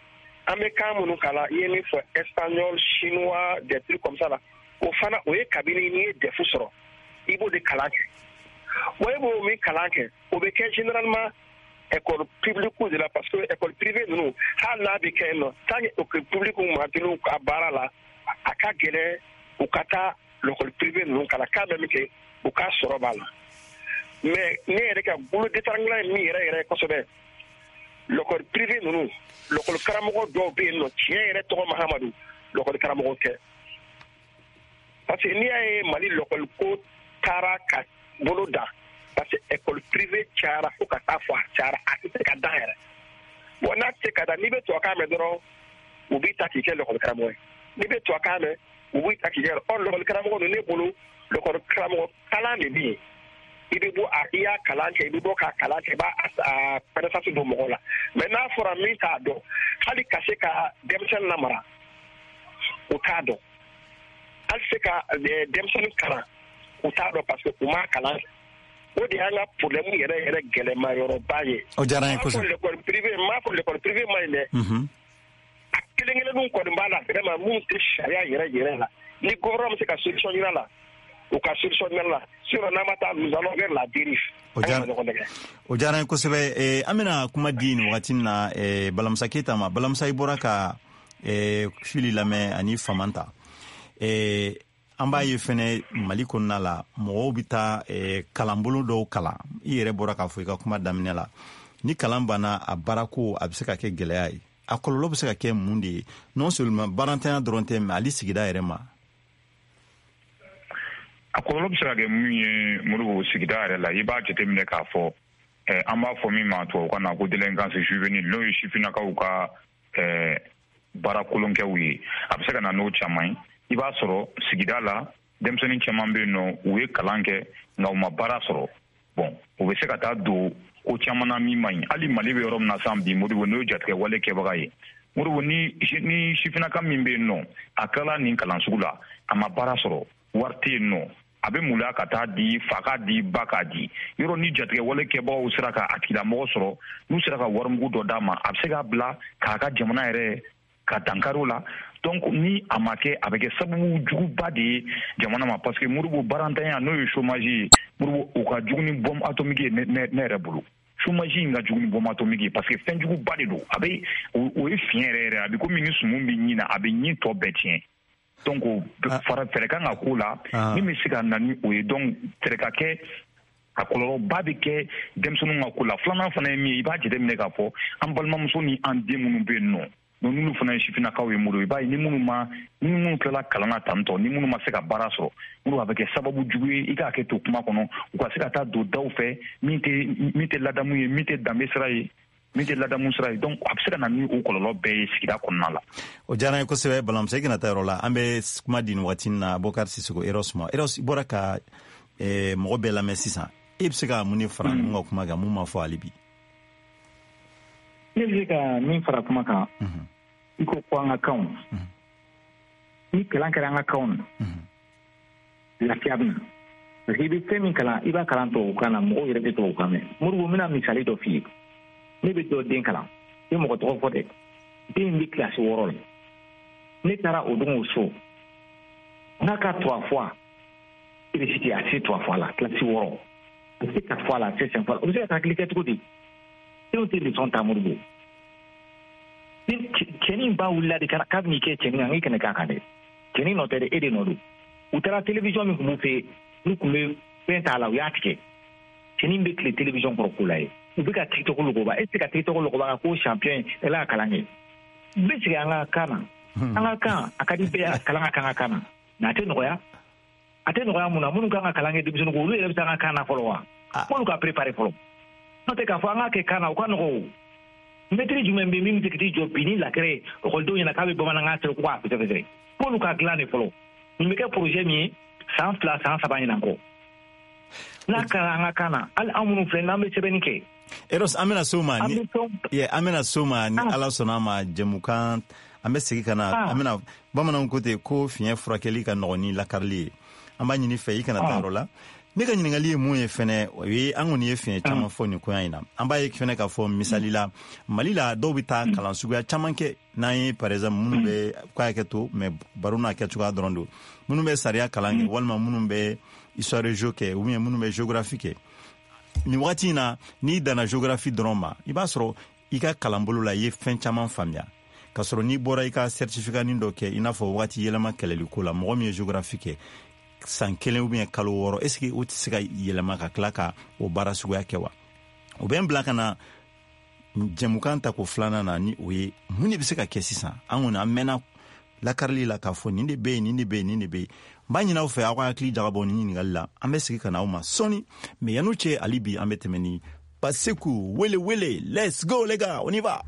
An bɛ kan minnu kalan, i ye min fɔ, espagnol, chinois, des trucs comme ça la, o fana o ye kabini n'i ye DEF sɔrɔ, i b'o de kalan kɛ. Wa e b'o min kalan kɛ, o bɛ kɛ généralement école publique de la, parce que école privée ninnu, hali n'a bɛ kɛ yen nɔ, tant que école publique ma teli ka baara la, a ka gɛlɛn u ka taa l'école privée ninnu kalan. K'a bɛ min kɛ, u ka sɔrɔ b'a la. Mais ne yɛrɛ ka bolo détrangulant ye min yɛrɛ yɛrɛ kosɛbɛ, l'école privée ninnu, l'école karamɔgɔ dɔw bɛ yen nɔ, tiɲɛ yɛrɛ tɔgɔ Mahamadu, l'école karamɔgɔ tɛ, parce que n'i y'a ye Mali l'école ko taara ka bolo da, parce que école privée cayara fo ka taa fɔ a cayara, a tɛ se ka dan yɛrɛ. Bon, n'a tɛ se ka dan, n'i bɛ tubabukan mɛn dɔrɔn, u b'i ta k'i kɛ l'école karamɔgɔ ye. N'i bɛ tubabukan mɛn, u b'i ta k'i kɛ. Ɔ, l'école karamɔgɔ ninnu, ne bolo, l'école karamɔgɔ kalan de bɛ yen. I bɛ bɔ a, i y'a kalan kɛ, i bɛ bɔ k'a kalan kɛ, i b'a a connaissance don mɔgɔw la. Mais n'a fɔra min t'a dɔn, hali ka se ka denmisɛnnin lamara, o t'a dɔn, hali se ka denmisɛnnin kalan, u t'a dɔn, parce que u m'a kalan. O de y'an ka problème yɛrɛ yɛrɛ gɛlɛma yɔrɔba ye. O diyara n ye kosɛbɛ. L'école privée, n m'a fɔ l'école privée man ɲi dɛ. A kelen kelenninw kɔni b'a la vraiment, mun tɛ sariya yɛrɛ yɛrɛ la. Ni gouvernement bɛ se ka solution ɲini a la, u ka solution ɲini a la. Sinon n'an ma taa, nous allons vers la dérive. O diyara n ye kosɛbɛ. An bɛna kuma di nin wagati in na Balamusa Keyita ma. Balamusa, i bɔra ka Fili lamɛn ani Famanta. An b'a ye fɛnɛ Mali kɔnɔna la, mɔgɔw bɛ taa kalanbolo dɔw kalan. I yɛrɛ bɔra k'a fɔ i ka kuma daminɛ la, ni kalan banna, a baarako a bɛ se ka kɛ gɛlɛya ye. A kɔlɔlɔ bɛ se ka kɛ mun de ye, non seulement baarantanya dɔrɔn tɛ, mais hali sigida yɛrɛ ma? A kɔlɔlɔ bɛ se ka kɛ mun ye, Modibo, sigida yɛrɛ la, i b'a jateminɛ k'a fɔ an b'a fɔ min ma tubabukan na ko délinquance juvénile, n'o ye sifinnakaw ka baara kolonkɛw ye, a bɛ se ka na n'o caman ye. I b'a sɔrɔ sigida la, denmisɛnnin caman bɛ yen nɔ, u ye kalan kɛ nka u ma baara sɔrɔ. Bon, u bɛ se ka taa don ko caman na min man ɲi. Hali Mali bɛ yɔrɔ min na sisan bi, Modibo, n'o ye jatigɛ wale kɛbaga ye, Modibo, ni sifinnaka min bɛ yen nɔ, a tilala nin kalan sugu la, a ma baara sɔrɔ, wari tɛ yen nɔ, a bɛ maloya ka taa di fa k'a di ba k'a di yɔrɔ. Ni jatigɛ wale kɛbagaw sera ka a tigilamɔgɔ sɔrɔ, n'u sera ka warimugu dɔ d'a ma, a bɛ se k'a bila k'a ka jamana yɛrɛ ka dankari o la. Donc ni a ma kɛ, a bɛ kɛ sababu juguba de ye jamana ma, parce que Modibo, baarantanya, n'o ye chômage ye, Modibo, o ka jugu ni bombe atomique ye. Ne yɛrɛ bolo, chômage in ka jugu ni bombe atomique ye, parce que fɛn juguba de don. A bɛ o ye fiɲɛ yɛrɛ yɛrɛ, a bɛ komi ni sumun bɛ ɲin na, a bɛ ɲin tɔ bɛɛ tiɲɛ. Donc fara fɛɛrɛ kan ka k'o la min bɛ se ka na ni o ye. Donc fɛɛrɛ ka kɛ, a kɔlɔlɔba bɛ kɛ denmisɛnninw ka ko la. Filanan fana ye min ye, i b'a jateminɛ k'a fɔ an balimamuso ni an den minnu bɛ yen nɔ. Donc n'olu fana ye sifinnakaw ye, Modibo, i b'a ye ni minnu ma, ni minnu tilala kalan na tantɔ, ni minnu ma se ka baara sɔrɔ, Modibo, a bɛ kɛ sababu jugu ye, i k'a kɛ to kuma kɔnɔ, u ka se ka taa don daw fɛ min tɛ ladamu ye, min tɛ danbe sira ye, min tɛ ladamu sira ye. Donc a bɛ se ka na ni o kɔlɔlɔ bɛɛ ye sigida kɔnɔna la. O diyara n ye kosɛbɛ, Balamusa. I kana taa yɔrɔ la, an bɛ kuma di nin waati na Bokari Sisoko Eros ma. Eros, i bɔra ka mɔgɔ bɛɛ lamɛn sisan, e bɛ se ka mun de fara ninnu ka kuma kan, mun ma fɔ hali bi? Ne bɛ se ka min fara kuma kan, i ko ko an ka kanw, ni kalan kɛra an ka kanw na, lafiya bɛ na, parce que i bɛ fɛn min kalan, i b'a kalan tubabukan na, mɔgɔw yɛrɛ bɛ tubabukan mɛn. Modibo, n bɛna misali dɔ f'i ye. Ne bɛ dɔ den kalan, n tɛ mɔgɔ tɔgɔ fɔ dɛ, den bɛ kilasi 6 la. Ne taara o don o so, n'a ka 3 fois récité, a tɛ se 3 fois la, kilasi 6, a tɛ se 4 fois la, a tɛ se 5 fois la. O bɛ se ka calcul kɛ cogo di? Denw tɛ leçon ta, Modibo. Cɛnin ba wulila de k'a bɛn'i kɛ cɛnin kan, k'i kana k'a kan dɛ. Cɛnin nɔ tɛ dɛ, e de nɔ don. U taara télévision min tun b'u fɛ yen, n'u tun bɛ fɛn t'a la, u y'a tigɛ. Cɛnin bɛ tile télévision kɔrɔ k'o lajɛ. U bɛ ka TikTok lɔgɔba, e tɛ se ka TikTok lɔgɔba ka ko champion ye, ala ka kalan kɛ. N bɛ segin an ka kan na. An ka kan, a ka di bɛɛ kalan ka kan ka kan na. Mais a tɛ nɔgɔya. A tɛ nɔgɔya mun na? Minnu kan ka kalan kɛ denmisɛnninw kun, olu yɛrɛ bɛ se an ka kan na fɔlɔ wa? F'olu ka préparer fɔlɔ. N'o tɛ k'a fɔ an k'a kɛ kan na, o ka nɔgɔn o. Mɛtiri jumɛn bɛ min bɛ se ka t'i jɔ bi ni lakɛrɛ ye ekɔlidenw ɲɛna k'a bɛ bamanankan sɛbɛn ko k'a fɛsɛfɛsɛ? F'olu ka dilan de fɔlɔ. Nin bɛ kɛ projet min ye san 2 san 3 ɲinan kɔ. N'a kɛra an ka kan na, hali an minnu filɛ n'an bɛ sɛbɛnni kɛ. Eros, an bɛna s'o ma ni an bɛna s'o ma ni Ala sɔnna a ma, jɛmukan an bɛ segin ka na, an bɛna, bamananw ko ten ko fiɲɛ furakɛli ka nɔgɔn ni lakarili ye. An b'a ɲini fɛ i kana taa yɔrɔ la. Ne ka ɲininkali ye mun ye fɛnɛ, o ye an kɔni ye fiɲɛ caman fɔ nin koɲa in na. An b'a ye fɛnɛ k'a fɔ misali la, Mali la, dɔw bɛ taa kalan suguya caman kɛ. N'an ye par exemple minnu bɛ k'a kɛ to, mais baro n'a kɛcogoya dɔrɔn don, minnu bɛ sariya kalan kɛ, walima minnu bɛ histoire géo kɛ, ou bien minnu bɛ géographie kɛ. Nin wagati in na, n'i danna géographie dɔrɔn ma, i b'a sɔrɔ i ka kalanbolo la, i ye fɛn caman faamuya. K'a sɔrɔ n'i bɔra i ka certificat nin dɔ kɛ, i n'a fɔ wagati yɛlɛma kɛlɛli ko la, mɔgɔ min ye géographie kɛ san 1 ou bien kalo 6, est ce que o tɛ se ka yɛlɛma ka tila ka o baara suguya kɛ wa? O bɛ n bila ka na jɛmukan ta ko filanan na, ni o ye mun de bɛ se ka kɛ sisan? An kɔni an mɛnna lakarili la k'a fɔ nin de bɛ yen, nin de bɛ yen, nin de bɛ yen. N b'a ɲini aw fɛ, aw ka hakili jagabɔ nin ɲininkali la. An bɛ segin ka na aw ma sɔɔni, mais yan'o cɛ, hali bi an bɛ tɛmɛ ni Baseku wele wele. Let's go les gars, on y va.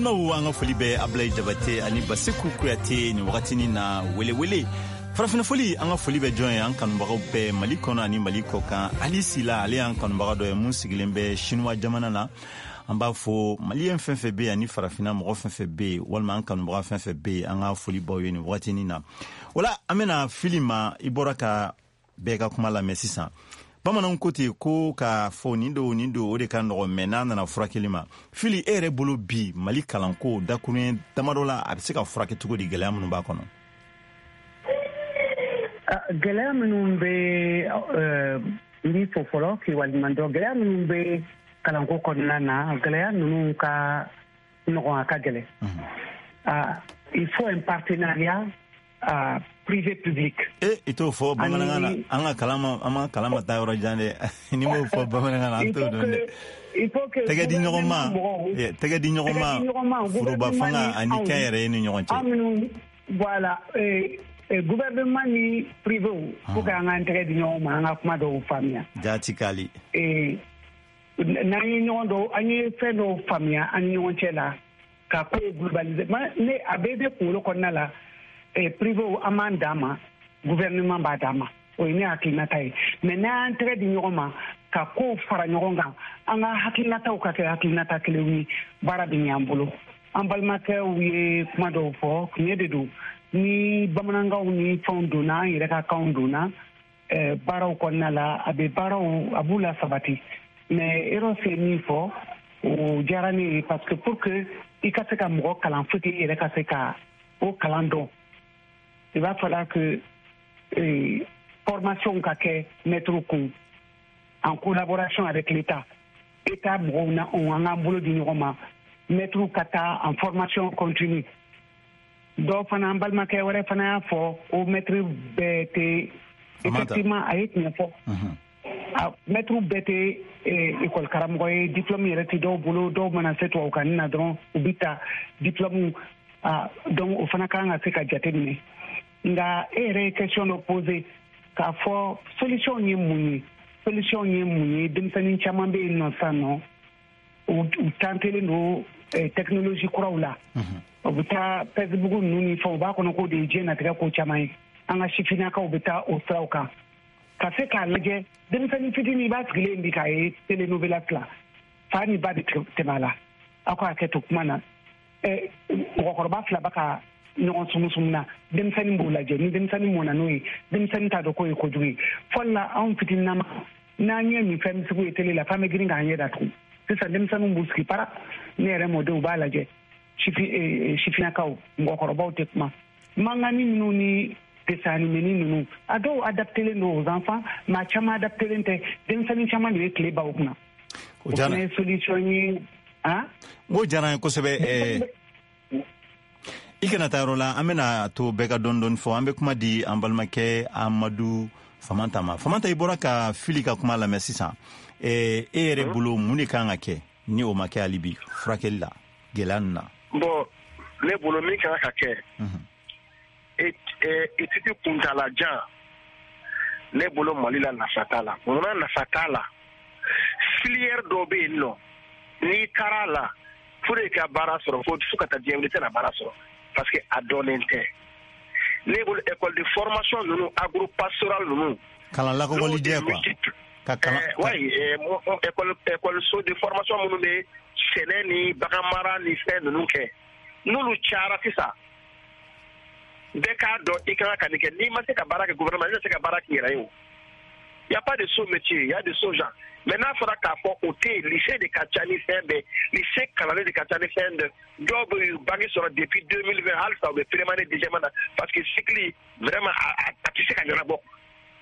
Balimaw, an ka foli bɛ Ablaye Jabate ani Baseku Kuyate nin wagatinin na. Welewele farafinna foli, an ka foli bɛ jɔn ye? An kanubagaw bɛɛ Mali kɔnɔ ani Mali kɔ kan. Ali Sila, ale y'an kanubaga dɔ ye mun sigilen bɛ Sinuwa jamana na. An b'a fo. Maliyɛn fɛn fɛn bɛ yen ani farafinna mɔgɔ fɛn fɛn bɛ yen, walima an kanubaga fɛn fɛn bɛ yen, an ka foli baw ye nin wagatinin na. Wala an bɛna fili ma. I bɔra ka bɛɛ ka kuma lamɛn sisan. Bamananw ko ten ko k'a fɔ nin don, nin don, o de ka nɔgɔ, mɛ n'a nana furakɛli ma. Fili, e yɛrɛ bolo bi, Mali kalanko, dakuruɲɛ damadɔ la, a bɛ se ka furakɛ cogo di, gɛlɛya minnu b'a kɔnɔ? Gɛlɛya minnu bɛ, n b'i fo fɔlɔ k'i waleɲuman dɔn. Gɛlɛya minnu bɛ kalanko kɔnɔna na, gɛlɛya ninnu ka nɔgɔn, a ka gɛlɛn. Il faut un partenariat privé public. E, i t'o fɔ bamanankan na. An ka kalan ma, an ma kalan ma taa yɔrɔ jan dɛ. N'i m'o fɔ bamanankan na, an t'o dɔn dɛ. Tɛgɛ di ɲɔgɔn ma, tɛgɛ di ɲɔgɔn ma, foroba fanga ani kɛnyɛrɛye ni ɲɔgɔn cɛ. Voilà, gouvernement ni privé, faut que an k'an tɛgɛ di ɲɔgɔn ma, an ka kuma dɔw faamuya. Jaati kali. N'an ye ɲɔgɔn dɔw, an ye fɛn dɔw faamuya an ni ɲɔgɔn cɛ la, ka ko globaliser. Ne a bɛɛ bɛ kunkolo kɔnɔna la. Privé, an b'an dan ma, gouvernement b'a dan ma, o ye ne hakilinata ye. Mais n'an y'an tɛgɛ di ɲɔgɔn ma ka kow fara ɲɔgɔn kan, an ka hakilinataw ka kɛ hakilinata kelenw ye, baara bɛ ɲɛ an bolo. An balimakɛw ye kuma dɔw fɔ, tiɲɛ de don. Ni bamanankanw ni fɛnw donna, an yɛrɛ ka kanw donna baaraw kɔnɔna la, a bɛ baaraw, a b'u la sabati. Mais Eros ye min fɔ, o diyara ne ye, parce que pour que i ka se ka mɔgɔ kalan, faut que i yɛrɛ ka se ka o kalan dɔn. Il va falloir que formation ka kɛ maître kun en collaboration avec l'État. État mɔgɔw na anw, an k'an bolo di ɲɔgɔn ma, maître ka taa en formation continue. Dɔw fana, an balimakɛ wɛrɛ fana y'a fɔ ko maître bɛɛ tɛ. Effectivement, a ye tiɲɛ fɔ, maître bɛɛ tɛ école karamɔgɔ ye, diplôme yɛrɛ tɛ dɔw bolo. Dɔw mana se tubabukan na dɔrɔn, u bɛ ta diplôme. Donc o fana kan ka se ka jate minɛ. Nka e yɛrɛ ye question dɔ poser k'a fɔ solution ye mun ye? Solution ye mun ye? Denmisɛnnin caman bɛ yen nɔ sisan nɔ, u tantelen don technologie kuraw la. U bɛ taa Facebook ninnu ni fɛnw, u b'a kɔnɔ k'o de ye diɲɛ natigɛ ko caman ye. An ka sifinnakaw bɛ taa o siraw kan. Ka se k'a lajɛ, denmisɛnnin fitinin, i b'a sigilen bi k'a ye télénovela fila, fa ni ba bɛ tɛmɛ a la. Aw ka hakɛ to kuma na, mɔgɔkɔrɔba fila bɛ ka ɲɔgɔn sumusumu na, denmisɛnnin b'o lajɛ. Ni denmisɛnnin mɔna n'o ye, denmisɛnnin t'a dɔn k'o ye kojugu ye. Fɔlɔ la, anw fitininama, n'an ye nin fɛn sugu ye télé la, f'an bɛ girin k'an ɲɛ datugu. Sisan denmisɛnninw b'u sigi para, ne yɛrɛ mɔdenw b'a lajɛ. Sifinnakaw, mɔgɔkɔrɔbaw tɛ kuma. Mangani minnu ni dessin animé ninnu, a dɔw adaptélen don aux enfants, mais a caman adaptélen tɛ. Denmisɛnnin caman de bɛ tile ban o kunna. O fana ye solution ye. N ko diyara n ye kosɛbɛ. I kana taa yɔrɔ la, an bɛna to bɛɛ ka dɔɔni dɔɔni fɔ. An bɛ kuma di an balimakɛ Amadu Famanta ma. Famanta, i bɔra ka Fili ka kuma lamɛn sisan. E yɛrɛ bolo, mun de kan ka kɛ ni o ma kɛ hali bi furakɛli la gɛlɛya ninnu na? Bon, ne bolo, min kan ka kɛ, étude kuntalajan, ne bolo, Mali la, nafa t'a la. Munna nafa t'a la? Filière dɔw bɛ yen nɔ, n'i taara a la pour que ka baara sɔrɔ, fo ka taa diɲɛ wuli, i tɛna baara sɔrɔ, parce que a dɔnnen tɛ. Ne bolo, école de formation ninnu, agro pastoral ninnu. Kalan lakɔkɔlijɛ quoi, ka kalan. Oui, école so de formation minnu bɛ sɛnɛ ni bagan mara ni fɛn ninnu kɛ, n'olu cayara sisan, bɛɛ k'a dɔn i kan ka nin kɛ. N'i ma se ka baara kɛ gouvernement, i tɛ se ka baara k'i yɛrɛ ye. O y a pas de sot métier, y a de sots gens. Mais n'a fɔra k'a fɔ o tɛ yen, lycée de ka ca ni fɛn bɛɛ, lycée kalannen de ka ca ni fɛn bɛɛ. Dɔw bɛ yen, bac sɔrɔ depuis 2020, halisa u bɛ première année, deuxième année, parce que cycle vraiment a tɛ se ka ɲɛnabɔ.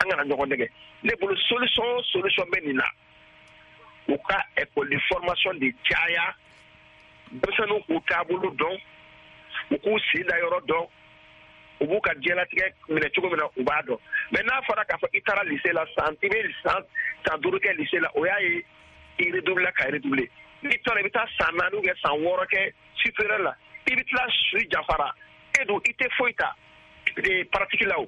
An kana ɲɔgɔn nɛgɛ. Ne bolo, solution bɛ nin na: u ka école de formation de caya, denmisɛnninw k'u taabolo dɔn, u k'u sen da yɔrɔ dɔn, u b'u ka diɲɛlatigɛ minɛ cogo min na, u b'a dɔn. Mais n'a fɔra k'a fɔ i taara lycée la, san i bɛ san 15 kɛ lycée la, o y'a ye i redoubler ka redoubler. N'i taara, i bɛ taa san 4 ou bien san 6 kɛ supérieur la, i bɛ tila su janfara. E dun, i tɛ foyi ta pratique la, o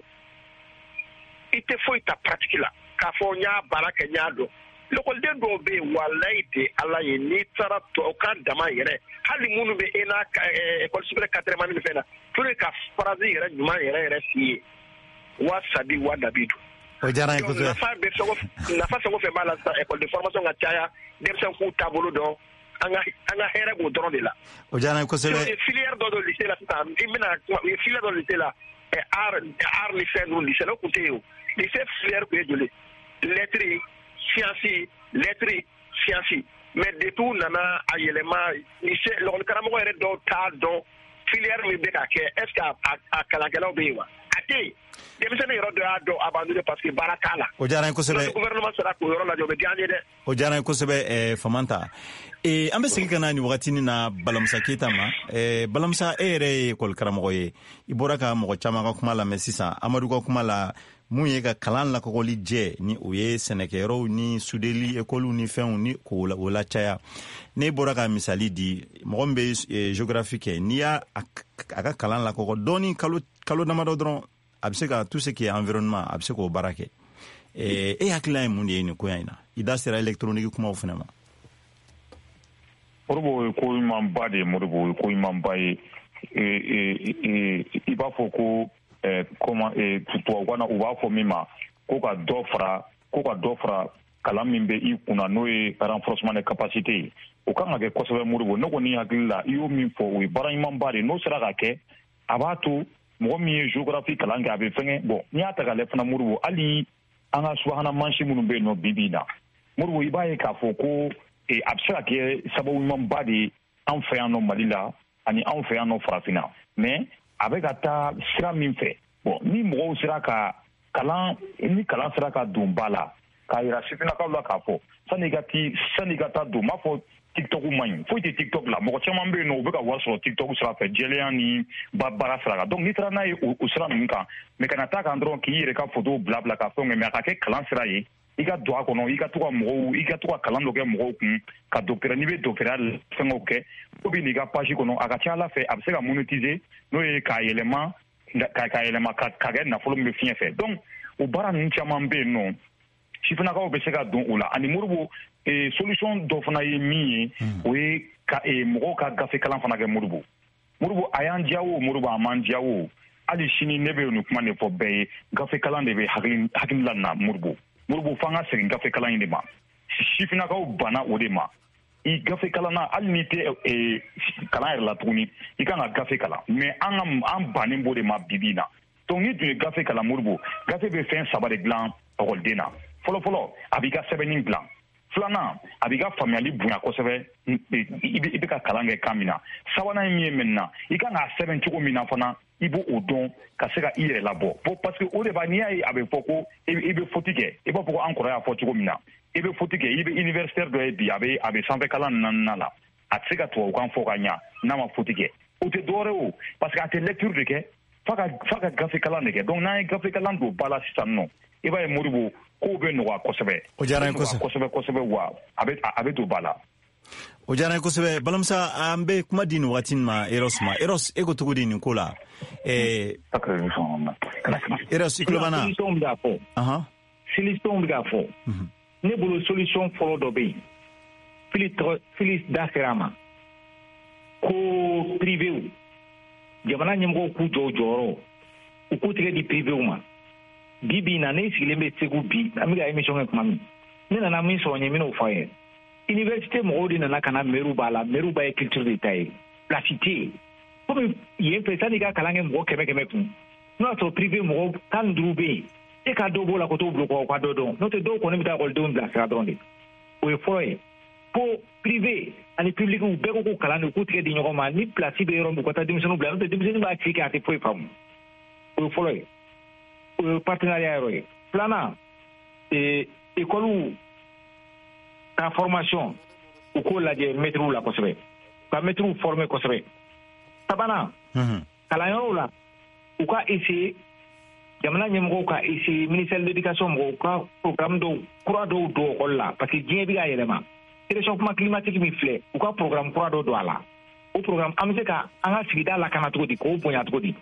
i tɛ foyi ta pratique la k'a fɔ n y'a baara kɛ, n y'a dɔn. Lakɔliden dɔw bɛ yen, walayi de Ala ye, n'i taara tubabukan dama yɛrɛ, hali minnu bɛ ENA, école supérieure quatrième année ni fɛn na, pour que ka phrase yɛrɛ ɲuman yɛrɛ yɛrɛ f'i ye, wa sabi wa dabi don. O diyara n ye kosɛbɛ. Nafa bɛ fɛn o nafa fɛn o fɛn b'a la sisan, école de formation ka caya, denmisɛnw k'u taabolo dɔn, an ka hɛrɛ b'o dɔrɔn de la. O diyara n ye kosɛbɛ. Filière dɔ don lycée la sisan, i bɛna kuma, u ye filière dɔ lycée la, art ni fɛn ninnu, lycée la o tun tɛ yen o. Lycée filière tun ye joli? Lettres, sciences, lettres, sciences. Mais depuis u nana a yɛlɛma, lycée lakɔli karamɔgɔ yɛrɛ dɔw t'a dɔn filière min bɛ ka kɛ, est ce que a kalankɛlaw bɛ yen wa? A tɛ yen. Denmisɛnnin yɔrɔ dɔ y'a dɔn abandonné parce que baara t'a la. O diyara n ye kosɛbɛ. Gouvernement sera k'o yɔrɔ lajɛ, o bɛ diya an ye dɛ. O diyara n ye kosɛbɛ, Famanta. An bɛ segin ka na nin wagatinin na Balamusa Keyita ma. Balamusa, e yɛrɛ ye ekɔli karamɔgɔ ye. I bɔra ka mɔgɔ caman ka kuma lamɛn sisan. Amadu ka kuma la, mun ye ka kalan lakɔgɔli jɛ ni o ye sɛnɛkɛyɔrɔw ni sudeli ekɔliw ni fɛnw ni k'o la caya. Ne bɔra ka misali di, mɔgɔ min bɛ géographie kɛ, n'i y'a a ka kalan lakɔgɔ dɔɔni kalo damadɔ dɔrɔn, a bɛ se ka tout ce qui est environnement, a bɛ se k'o baara kɛ. E hakilina ye mun de ye nin koya in na? I da sera électronique kumaw fana ma. Modibo, ye ko ɲumanba de ye. Modibo, ye ko ɲumanba ye. I b'a fɔ ko comment, tubabukan na u b'a fɔ min ma ko ka dɔ fara kalan min bɛ i kunna, n'o ye renforcement de capacité ye, o kan ka kɛ kosɛbɛ. Modibo, ne kɔni hakili la, i y'o min fɔ, o ye baara ɲumanba de ye. N'o sera ka kɛ, a b'a to mɔgɔ min ye géographie kalan kɛ, a bɛ fɛngɛ. Bon, n'i y'a ta k'a lajɛ fana, Modibo, hali an ka subahana mansin minnu bɛ yen nɔ bi bi in na, Modibo, i b'a ye k'a fɔ ko a bɛ se ka kɛ sababu ɲumanba de ye an fɛ yan nɔ Mali la ani anw fɛ yan nɔ Farafinna. Mais a bɛ ka taa sira min fɛ, bon, ni mɔgɔw sera ka kalan, ni kalan sera ka don ba la, k'a yira sifinnakaw la k'a fɔ sanni i ka taa don, n b'a fɔ TikTok man ɲi, foyi tɛ TikTok la. Mɔgɔ caman bɛ yen nɔ, u bɛ ka wari sɔrɔ TikTok sira fɛ, jɛlenya ni baara sira kan. Donc n'i taara n'a ye o sira ninnu kan, mais kana taa kan dɔrɔn k'i yɛrɛ ka photo bila bila ka fɛnw kɛ, mais a ka kɛ kalan sira ye. I ka don a kɔnɔ, i ka to ka mɔgɔw, i ka to ka kalan dɔ kɛ mɔgɔw kun, ka docteur, n'i bɛ doctorat fɛngɛw kɛ, ko bɛ n'i ka page kɔnɔ, a ka ca Ala fɛ, a bɛ se ka monétiser, n'o ye k'a yɛlɛma ka kɛ nafolo min bɛ fiɲɛ fɛ. Donc o baara ninnu caman bɛ yen nɔ, sifinnakaw bɛ se ka don o la. Ani Modibo, solution dɔ fana ye min ye, o ye ka mɔgɔw ka gafe kalan fana kɛ. Modibo, a y'an diya o, Modibo, a m'an diya o, hali sini ne bɛ nin kuma de fɔ bɛɛ ye, gafe kalan de bɛ hakili la na. Modibo, f'an ka segin gafe kalan in de ma. Sifinnakaw banna o de ma. I gafe kalan na, hali n'i tɛ kalan yɛrɛ la tuguni, i kan ka gafe kalan. Mais an bannen b'o de ma bi bi in na. Donc n'i tun ye gafe kalan, Modibo, gafe bɛ fɛn saba de dilan ekɔliden na. Fɔlɔfɔlɔ, a b'i ka sɛbɛnni dilan. Filanan, a b'i ka faamuyali bonya kosɛbɛ, i bɛ ka kalan kɛ kan min na. Sabanan ye min ye maintenant, i kan k'a sɛbɛn cogo min na fana, i b'o o dɔn ka se ka i yɛrɛ labɔ. Bon, parce que o de b'a, n'i y'a ye a bɛ fɔ ko i bɛ faute kɛ, i b'a fɔ ko an kɔrɔ y'a fɔ cogo min na, i bɛ faute kɛ, i bɛ universitaire dɔ ye bi, a bɛ sanfɛ kalan naaninan la, a tɛ se ka tubabukan fɔ ka ɲa n'a ma faute kɛ. O tɛ dɔwɛrɛ o, parce que a tɛ lecture de kɛ, f'a ka gafe kalan de kɛ. Donc n'an ye gafe kalan don ba la sisan nɔ, i b'a ye Modibo, kow bɛ nɔgɔya kosɛbɛ. O diyara n ye kosɛbɛ kosɛbɛ, wa a bɛ don ba la. O diyara n ye kosɛbɛ. Balamusa, an bɛ kuma di nin waati ma Eros ma. Eros, e ko cogo di nin ko la? Eros, i tulo b'an na? Solution bɛ k'a fɔ. Solution bɛ k'a fɔ. Ne bolo solution fɔlɔ dɔ bɛ yen. Fili da sera a ma. Ko privéw, jamana ɲɛmɔgɔw k'u jɔ u jɔyɔrɔ, u k'u tigɛ di privéw ma. Bi bi in na, ne sigilen bɛ Segu bi, an bɛ ka émission kɛ tuma min, ne nana min sɔrɔ n ye, n bɛn'o fɔ a ye. Université mɔgɔw de nana ka na mairie b'a la, mairie b'a ye culture de ta ye, place tɛ yen. Komi yen fɛ, sanni i ka kalan kɛ mɔgɔ 100 kun, n'o y'a sɔrɔ privé mɔgɔ 15 bɛ yen, e ka dɔ b'o la ko t'o bila o ka dɔ dɔn, n'o tɛ dɔw kɔni bɛ taa ekɔlidenw bilasira dɔrɔn de. O ye fɔlɔ ye. Ko privé ani public u bɛɛ ko ko kalan de, u k'u tigɛ di ɲɔgɔn ma, ni place bɛ yɔrɔ min, u ka taa denmisɛnninw bila, n'o tɛ denmisɛnnin b'a ci kɛ a tɛ foyi faamu. O ye fɔlɔ ye. O ye partenariat yɔrɔ ye. Filanan, école ka formation, u k'o lajɛ mɛtiriw la kosɛbɛ, ka mɛtiriw former kosɛbɛ. Sabanan, kalanyɔrɔw la, u ka essayer, jamana ɲɛmɔgɔw ka essayer, ministère de l'éducation mɔgɔw ka programme dɔw kura dɔw don école la, parce que diɲɛ bɛ ka yɛlɛma. Réchauffement climatique min filɛ, u ka programme kura dɔ don a la. O programme, an bɛ se ka an ka sigida lakana cogo di, k'o bonya cogo di,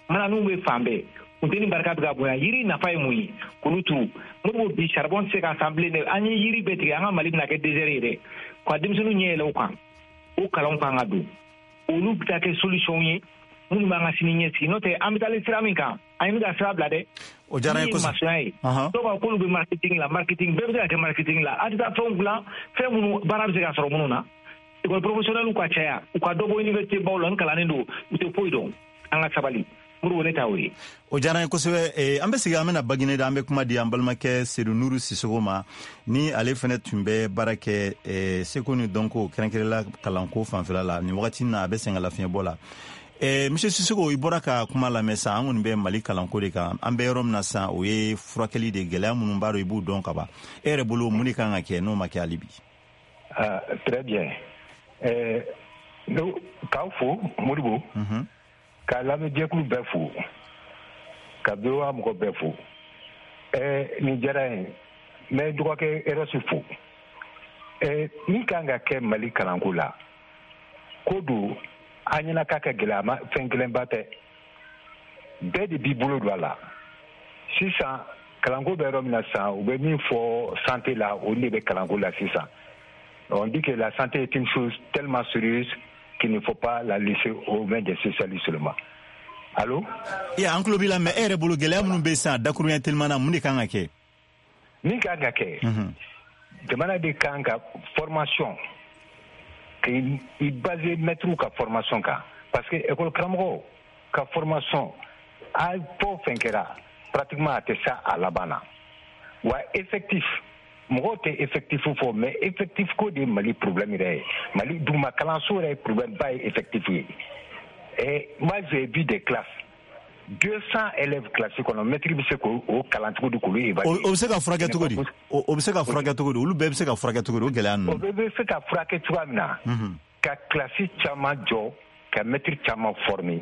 mananiw bɛ fan bɛɛ. Funteni barika bɛ ka bonya, yiri nafa ye mun ye? K'olu turu. Modibo, bi charbon tɛ se ka san bilen dɛ. An ye yiri bɛɛ tigɛ, an ka Mali bɛna kɛ désert ye dɛ. Ka denmisɛnninw ɲɛ yɛlɛ o kan, o kalanw kan ka don, olu bɛ taa kɛ solution ye minnu b'an ka sini ɲɛsigi. N'o tɛ, an bɛ taalen sira min kan, an bɛ ka sira bila dɛ. O diyara n ye kosɛbɛ. Masɔnya ye, dɔw b'a k'olu bɛ marketing la. Marketing bɛɛ bɛ se ka kɛ marketing la. A tɛ taa fɛnw dilan, fɛn minnu baara bɛ se ka sɔrɔ minnu na. École professionnelle ka caya, u ka dɔ bɔ université baw la. N kalannen don, u tɛ foyi dɔn. An ka sabali, Modibo, ne ta o ye. O diyara n ye kosɛbɛ. An bɛ segin, an bɛna Bagineda, an bɛ kuma di an balimakɛ Sedu Nuru Sisogo ma, ni ale fɛnɛ tun bɛ baara kɛ seko ni dɔnko, kɛrɛnkɛrɛnla kalanko fanfɛla la. Nin wagati na, a bɛ sɛgɛn lafiɲɛbɔ la. Monsieur Sisogo, i bɔra ka kuma lamɛn sa. An kɔni bɛ Mali kalanko de kan. An bɛ yɔrɔ min na sisan, o ye furakɛli de. Gɛlɛya minnu b'a dɔn, i b'u dɔn ka ban. E yɛrɛ bolo, mun de kan ka kɛ n'o ma kɛ hali bi? Ah, très bien. K'aw fo, Modibo, ka lamɛnjɛkulu bɛɛ fo, ka VOA mɔgɔ bɛɛ fo. Nin diyara n ye. N bɛ dɔgɔkɛ Erɔsi fo. Min kan ka kɛ Mali kalanko la, ko don an ɲɛna k'a ka gɛlɛn, a ma fɛn gɛlɛnba tɛ. Bɛɛ de b'i bolo don a la. Sisan kalanko bɛ yɔrɔ min na sisan, u bɛ min fɔ santé la, o de bɛ kalanko la sisan. On dit que la santé est une chose tellement sérieuse qu'il ne faut pas la laisser aux mains des spécialistes seulement. Allô? Iya, an tulo b'i la. Mais e yɛrɛ bolo, gɛlɛya minnu bɛ sisan, dakuruɲɛ teliman na, mun de kan ka kɛ? Min kan ka kɛ, jamana de kan ka formation k'i basé maître ka formation kan, parce que école karamɔgɔ ka formation a fɔ fɛn kɛra, pratiquement a tɛ sa a laban na. Wa effectif, mɔgɔw tɛ effectif fɔ, mais effectif ko de ye Mali problème yɛrɛ ye. Mali duguma kalanso yɛrɛ ye problème ba ye effectif ye. Et moi, j'ai vu des classes, 200 élèves classe kɔnɔ, maître bɛ se k'o kalan cogo di, k'olu évaluer? O bɛ se ka furakɛ cogo di? O bɛ se ka furakɛ cogo di? Olu bɛɛ bɛ se ka furakɛ cogo di, o gɛlɛya ninnu? O bɛɛ bɛ se ka furakɛ cogoya min na, ka classe caman jɔ, ka maître caman former,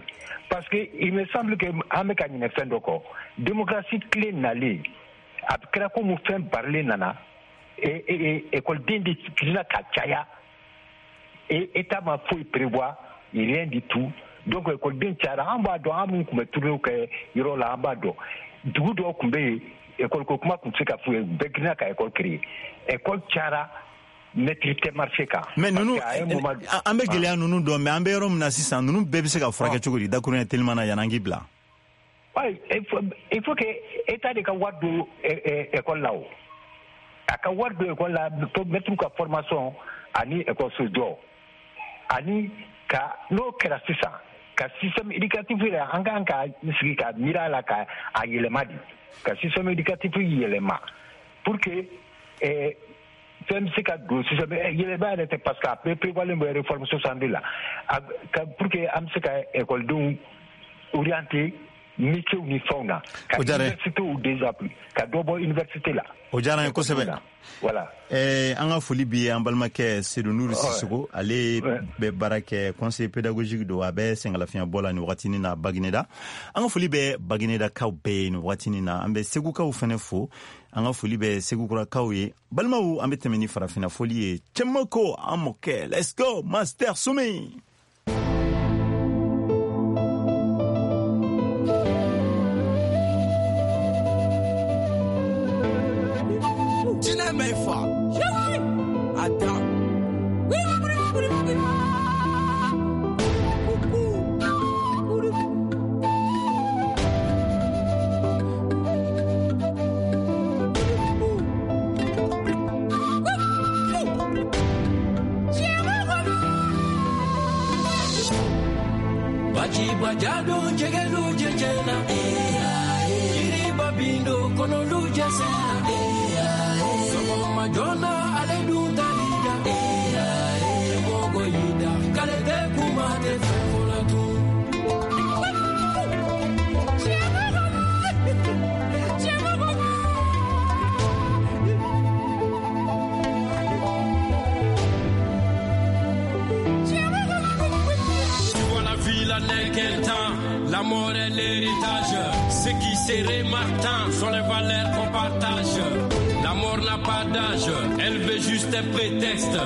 parce que il me semble que an bɛ ka ɲinɛ fɛn dɔ kɔ. Démocratie tile nalen, a kɛra komi fɛn barilen nana, écoleden de tila ka caya et état ma foyi prévoir, rien du tout. Donc écoleden cayara. An b'a dɔn, an minnu tun bɛ tournéew kɛ yɔrɔ la, an b'a dɔn, dugu dɔw tun bɛ yen, école ko kuma tun tɛ se ka f'u ye, bɛɛ girinna ka école créer. École cayara, maître tɛ marché kan. Mais ninnu, an bɛ gɛlɛya ninnu dɔn, mais an bɛ yɔrɔ min na sisan, ninnu bɛɛ bɛ se ka furakɛ cogo di, dakuruɲɛ teliman na, yan'an k'i bila? Ouais, il faut que État de ka wari don école la. O a ka wari don école la, maître ka formation ani école so jɔ, ani ka n'o kɛra sisan, ka système éducatif yɛrɛ, an kan ka sigi ka miiri a la ka a yɛlɛma de, ka système éducatif yɛlɛma pour que fɛn bɛ se ka don système yɛlɛma yɛrɛ tɛ, parce que a bɛɛ prévoilen bɛ réforme 62 la, pour que an bɛ se ka écoledenw orienter métier ni fɛnw na, ka université déjà ka dɔ bɔ université la. O diyara n ye kosɛbɛ. Voilà. An ka foli bi an balimakɛ Sedu Nuru Sisogo. Ale bɛ baara kɛ, conseiller pédagogique don, a bɛ sɛgɛnlafiɲɛbɔ la nin wagatinin na Bagineda. An ka foli bɛ Baginedakaw bɛɛ ye nin wagatinin na. An bɛ Segukaw fɛnɛ fo, an ka foli bɛ Segukurakaw ye. Balimaw, an bɛ tɛmɛ ni farafinna foli ye. Cɛmako, an mɔkɛ, let's go, Master Sumi. La mort est l'héritage. Ce qui se remarque sont les valeurs qu'on partage. La mort n'a n'a pas d'âge, elle veut juste un prétexte.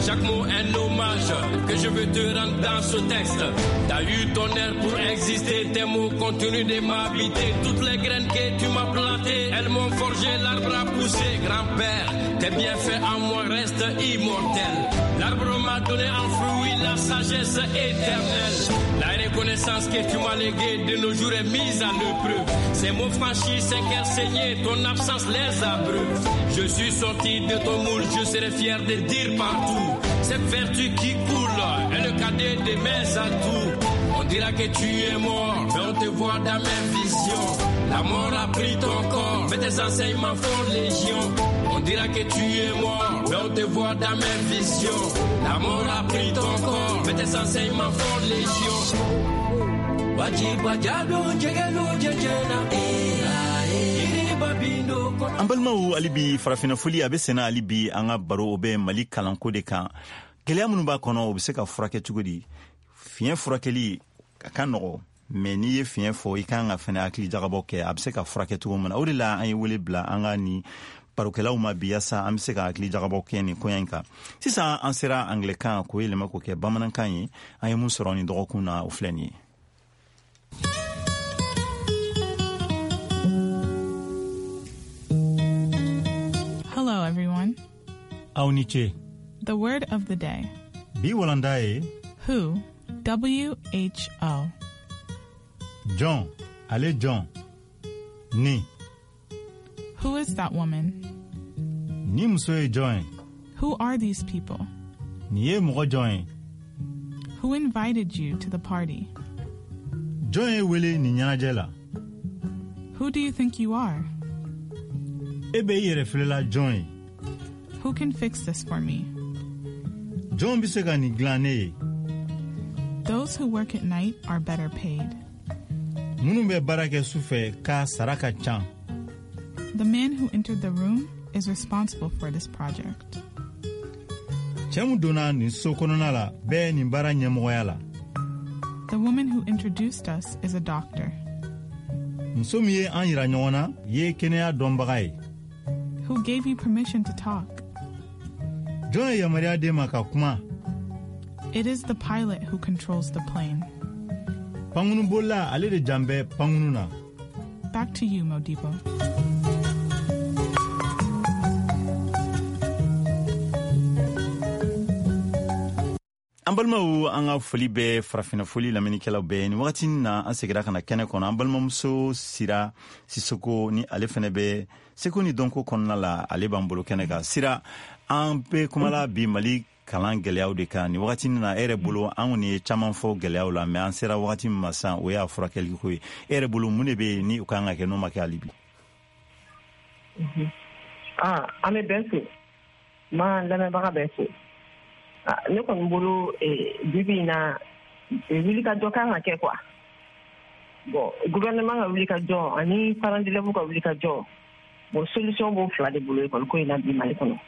Chaque mot un hommage que je veux te rendre dans ce texte. T'as eu ton air pour exister, tes mots continuent de m'habiter. Toutes les graines que tu m'as plantées, elles m'ont forgé l'arbre à pousser. Grand-père, tes bienfaits en moi restent immortels. L'arbre m'a donné un fruit, la sagesse éternelle. La reconnaissance que tu m'as léguée de nos jours est mise à l'épreuve. Ces mots franchis, ces cœurs saignés, ton absence les abreuve. Je suis sorti de ton moule, je serai fier de dire partout. Cette vertu qui coule est le cadet de mes atouts. On dira que tu es mort, mais on te voit dans mes visions. La mort a pris ton corps, mais tes enseignements font légion. On dira que tu es mort, mais on te voit dans mes visions. La mort a pris ton corps, mais tes enseignements font légion. An balimaw, hali bi farafinna foli a bɛ senna. Hali bi an ka baro o bɛ Mali kalanko de kan. Gɛlɛya minnu b'a kɔnɔ, o bɛ se ka furakɛ cogo di? Fiɲɛ furakɛli a ka nɔgɔ, mɛ n'i ye fiɲɛ fɔ, i kan ka fɛnɛ hakili jagabɔ kɛ a bɛ se ka furakɛ cogo min na. O de la an ye wele bila an ka ni barokɛlaw ma bi, yaasa an bɛ se ka hakili jagabɔ kɛ nin koɲa in kan. Sisan an sera angilɛkan k'o yɛlɛma k'o kɛ bamanankan ye. An ye mun sɔrɔ nin dɔgɔkun na, o filɛ nin ye. Hello, everyone. Aw ni ce. The word of the day. Bi walanda ye Who? W H O. Jɔn, ale jɔn ni. Who is that woman? Ni muso ye jɔn ye? Who are these people? Nin ye mɔgɔ jɔn ye? Who invited you to the party? Jɔn ye wele nin ɲɛnajɛ la? Who do you think you are? E bɛ i yɛrɛ filɛla jɔn ye? Who can fix this for me? Jɔn bɛ se ka nin dilan ne ye? Those who work at night are better paid. Minnu bɛ baara kɛ su fɛ k'a sara ka ca. The man who entered the room is responsible for this project. Cɛ min donna nin so kɔnɔna la bɛɛ nin baara ɲɛmɔgɔya la. The woman who introduced us is a doctor. Muso min ye an yira ɲɔgɔn na ye kɛnɛya dɔnbaga ye. Who gave you permission to talk? Jɔn ye yamaruya d'e ma ka kuma? It is the pilot who controls the plane. Pankurunbolila, ale de jan bɛ pankurun na. Back to you, Modibo. An balimaw, an ka foli bɛ farafinna foli lamɛnnikɛlaw bɛɛ. Nin wagati na, an segira ka na kɛnɛ kɔnɔ. An balimamuso Sira Sisoko ni ale fɛnɛ bɛ seko ni dɔnko kɔnɔna la, ale b'an bolo kɛnɛ kan. Sira, an bɛ kumala bi Mali kalan gɛlɛyaw de kan nin wagati na. E yɛrɛ bolo, an kɔni ye caman fɔ gɛlɛyaw la, mɛ an sera wagati min ma sisan, o y'a furakɛli ko ye. E yɛrɛ bolo, mun de bɛ yen ni o kan ka kɛ, n'o ma kɛ hali bi? An bɛ bɛɛ fo, ma lamɛnbaga bɛɛ fo. Ne kɔni bolo, bi in na, wulikajɔ kan ka kɛ quoi. Bon, gouvernement ka wulikajɔ ani parents d'élèves ka wulikajɔ, bon, solution b'o fila de bolo école ko in na bi Mali kɔnɔ.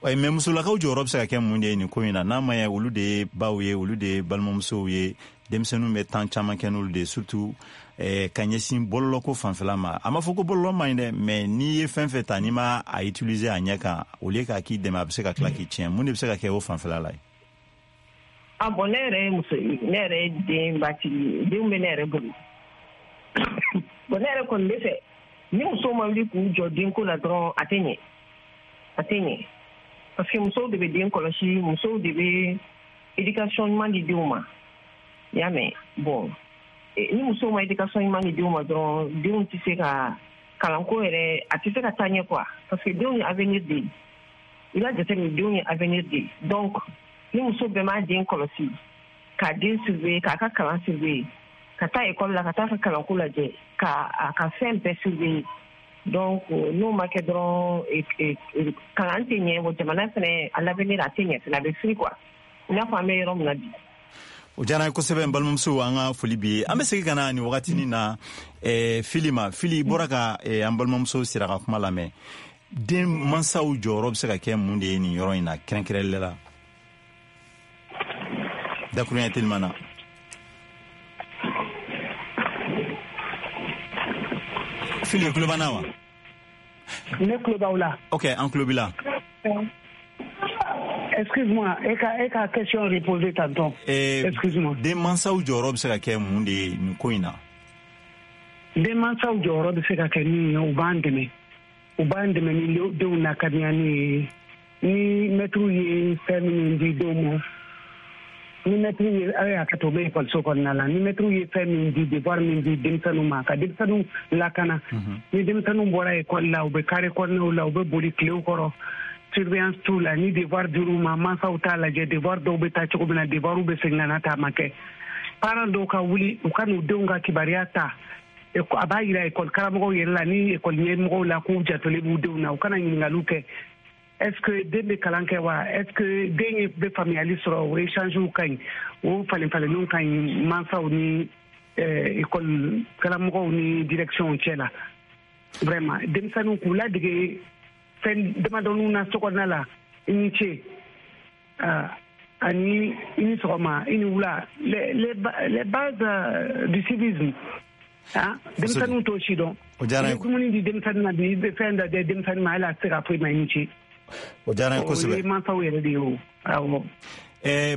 Mɛ musolakaw jɔyɔrɔ bɛ se ka kɛ mun de ye nin ko in na, n'a ma ɲɛ olu de ye baw ye, olu de ye balimamusow ye, denmisɛnninw bɛ temps caman kɛ n'olu de ye, surtout ka ɲɛsin bɔlɔlɔko fanfɛla ma? A ma fɔ ko bɔlɔlɔ man ɲi dɛ, mɛ n'i ye fɛn fɛn ta, n'i ma a utiliser a ɲɛ kan, au lieu k'a k'i dɛmɛ, a bɛ se ka tila k'i tiɲɛ. Mun de bɛ se ka kɛ o fanfɛla la ye? Ah bon, ne yɛrɛ ye muso ye, ne yɛrɛ ye denbatigi ye, denw bɛ ne yɛrɛ bolo. Bon, ne yɛrɛ kɔni bɛ fɛ, ni musow ma wuli k'u jɔ denko la dɔrɔn, a tɛ ɲɛ, a tɛ ɲɛ, parce que musow de bɛ den kɔlɔsi, musow de bɛ éducation ɲuman di denw ma, i y'a mɛn? Bon, ni musow ma éducation ɲuman di denw ma dɔrɔn, denw tɛ se ka kalanko yɛrɛ, a tɛ se ka taa ɲɛ quoi, parce que denw ye avenir de ye. I b'a jateminɛ, denw ye avenir de ye. Donc ni muso bɛɛ m'a den kɔlɔsi, k'a den surveiller, k'a ka kalan surveiller, ka taa école la, ka taa ka kalanko lajɛ, ka a ka fɛn bɛɛ surveiller, donc n'o ma kɛ dɔrɔn, kalan tɛ ɲɛ. Wa jamana fɛnɛ, à l'avenir, a tɛ ɲɛ fɛnɛ, a bɛ firi quoi, i n'a fɔ an bɛ yɔrɔ min na bi. O diyara n ye kosɛbɛ. N balimamuso, an ka foli bi ye. An bɛ segin ka na nin wagatinin na Fili ma. Fili, i bɔra ka an balimamuso Sira ka kuma lamɛn. Den mansaw jɔyɔrɔ bɛ se ka kɛ mun de ye nin yɔrɔ in na, kɛrɛnkɛrɛnlen la, dakuruɲɛ teliman na? Fili, tulo b'an na wa? Ne tulo b'aw la. Ok, an tulo b'i la. Excuse-moi, e ka question reposer tantôt. Excuse-moi. Denmansaw jɔyɔrɔ bɛ se ka kɛ mun de ye nin ko in na? Denmansaw jɔyɔrɔ bɛ se ka kɛ min ye, u b'an dɛmɛ. U b'an dɛmɛ ni denw lakanani ye. Ni mɛtiriw ye fɛn minnu di denw ma, ni mɛtiriw ye, aw y'a kɛ to, u bɛ ekɔliso kɔnɔna la, ni mɛtiriw ye fɛn min di, devoir min di denmisɛnninw ma, ka denmisɛnninw lakana. Ni denmisɛnninw bɔra ekɔli la, u bɛ carré kɔnɔnaw la, u bɛ boli tilew kɔrɔ, surveillance t'u la. Ni devoir dir'u ma, mansaw t'a lajɛ devoir dɔw bɛ taa cogo min na, devoirw bɛ segin ka na ta a ma kɛ. Parents dɔw ka wuli, u ka n'u denw ka kibaruya ta, a b'a yira ekɔli karamɔgɔw yɛrɛ la ni ekɔli ɲɛmɔgɔw la k'u jatolen b'u denw na. U kana ɲininkaliw kɛ, est-ce que den bɛ kalan kɛ wa, est-ce que den bɛ faamuyali sɔrɔ. O échangew ka ɲi, o falen falenniw ka ɲi mansaw ni ekɔli karamɔgɔw ni direction cɛ la. Vraiment, denmisɛnninw k'u ladege fɛn damadɔninw na so kɔnɔna la, i ni ce, ani i ni sɔgɔma, i ni wula, les bases du civisme. Ah, denmisɛnninw t'o si dɔn. O diyara n ye. I bɛ dumuni di denmisɛnnin ma bi, i bɛ fɛn dɔ di denmisɛnnin ma, hali a tɛ se k'a fɔ i ma i ni ce. O diyara n ye kosɛbɛ. O ye mansaw yɛrɛ de ye o. Awɔ.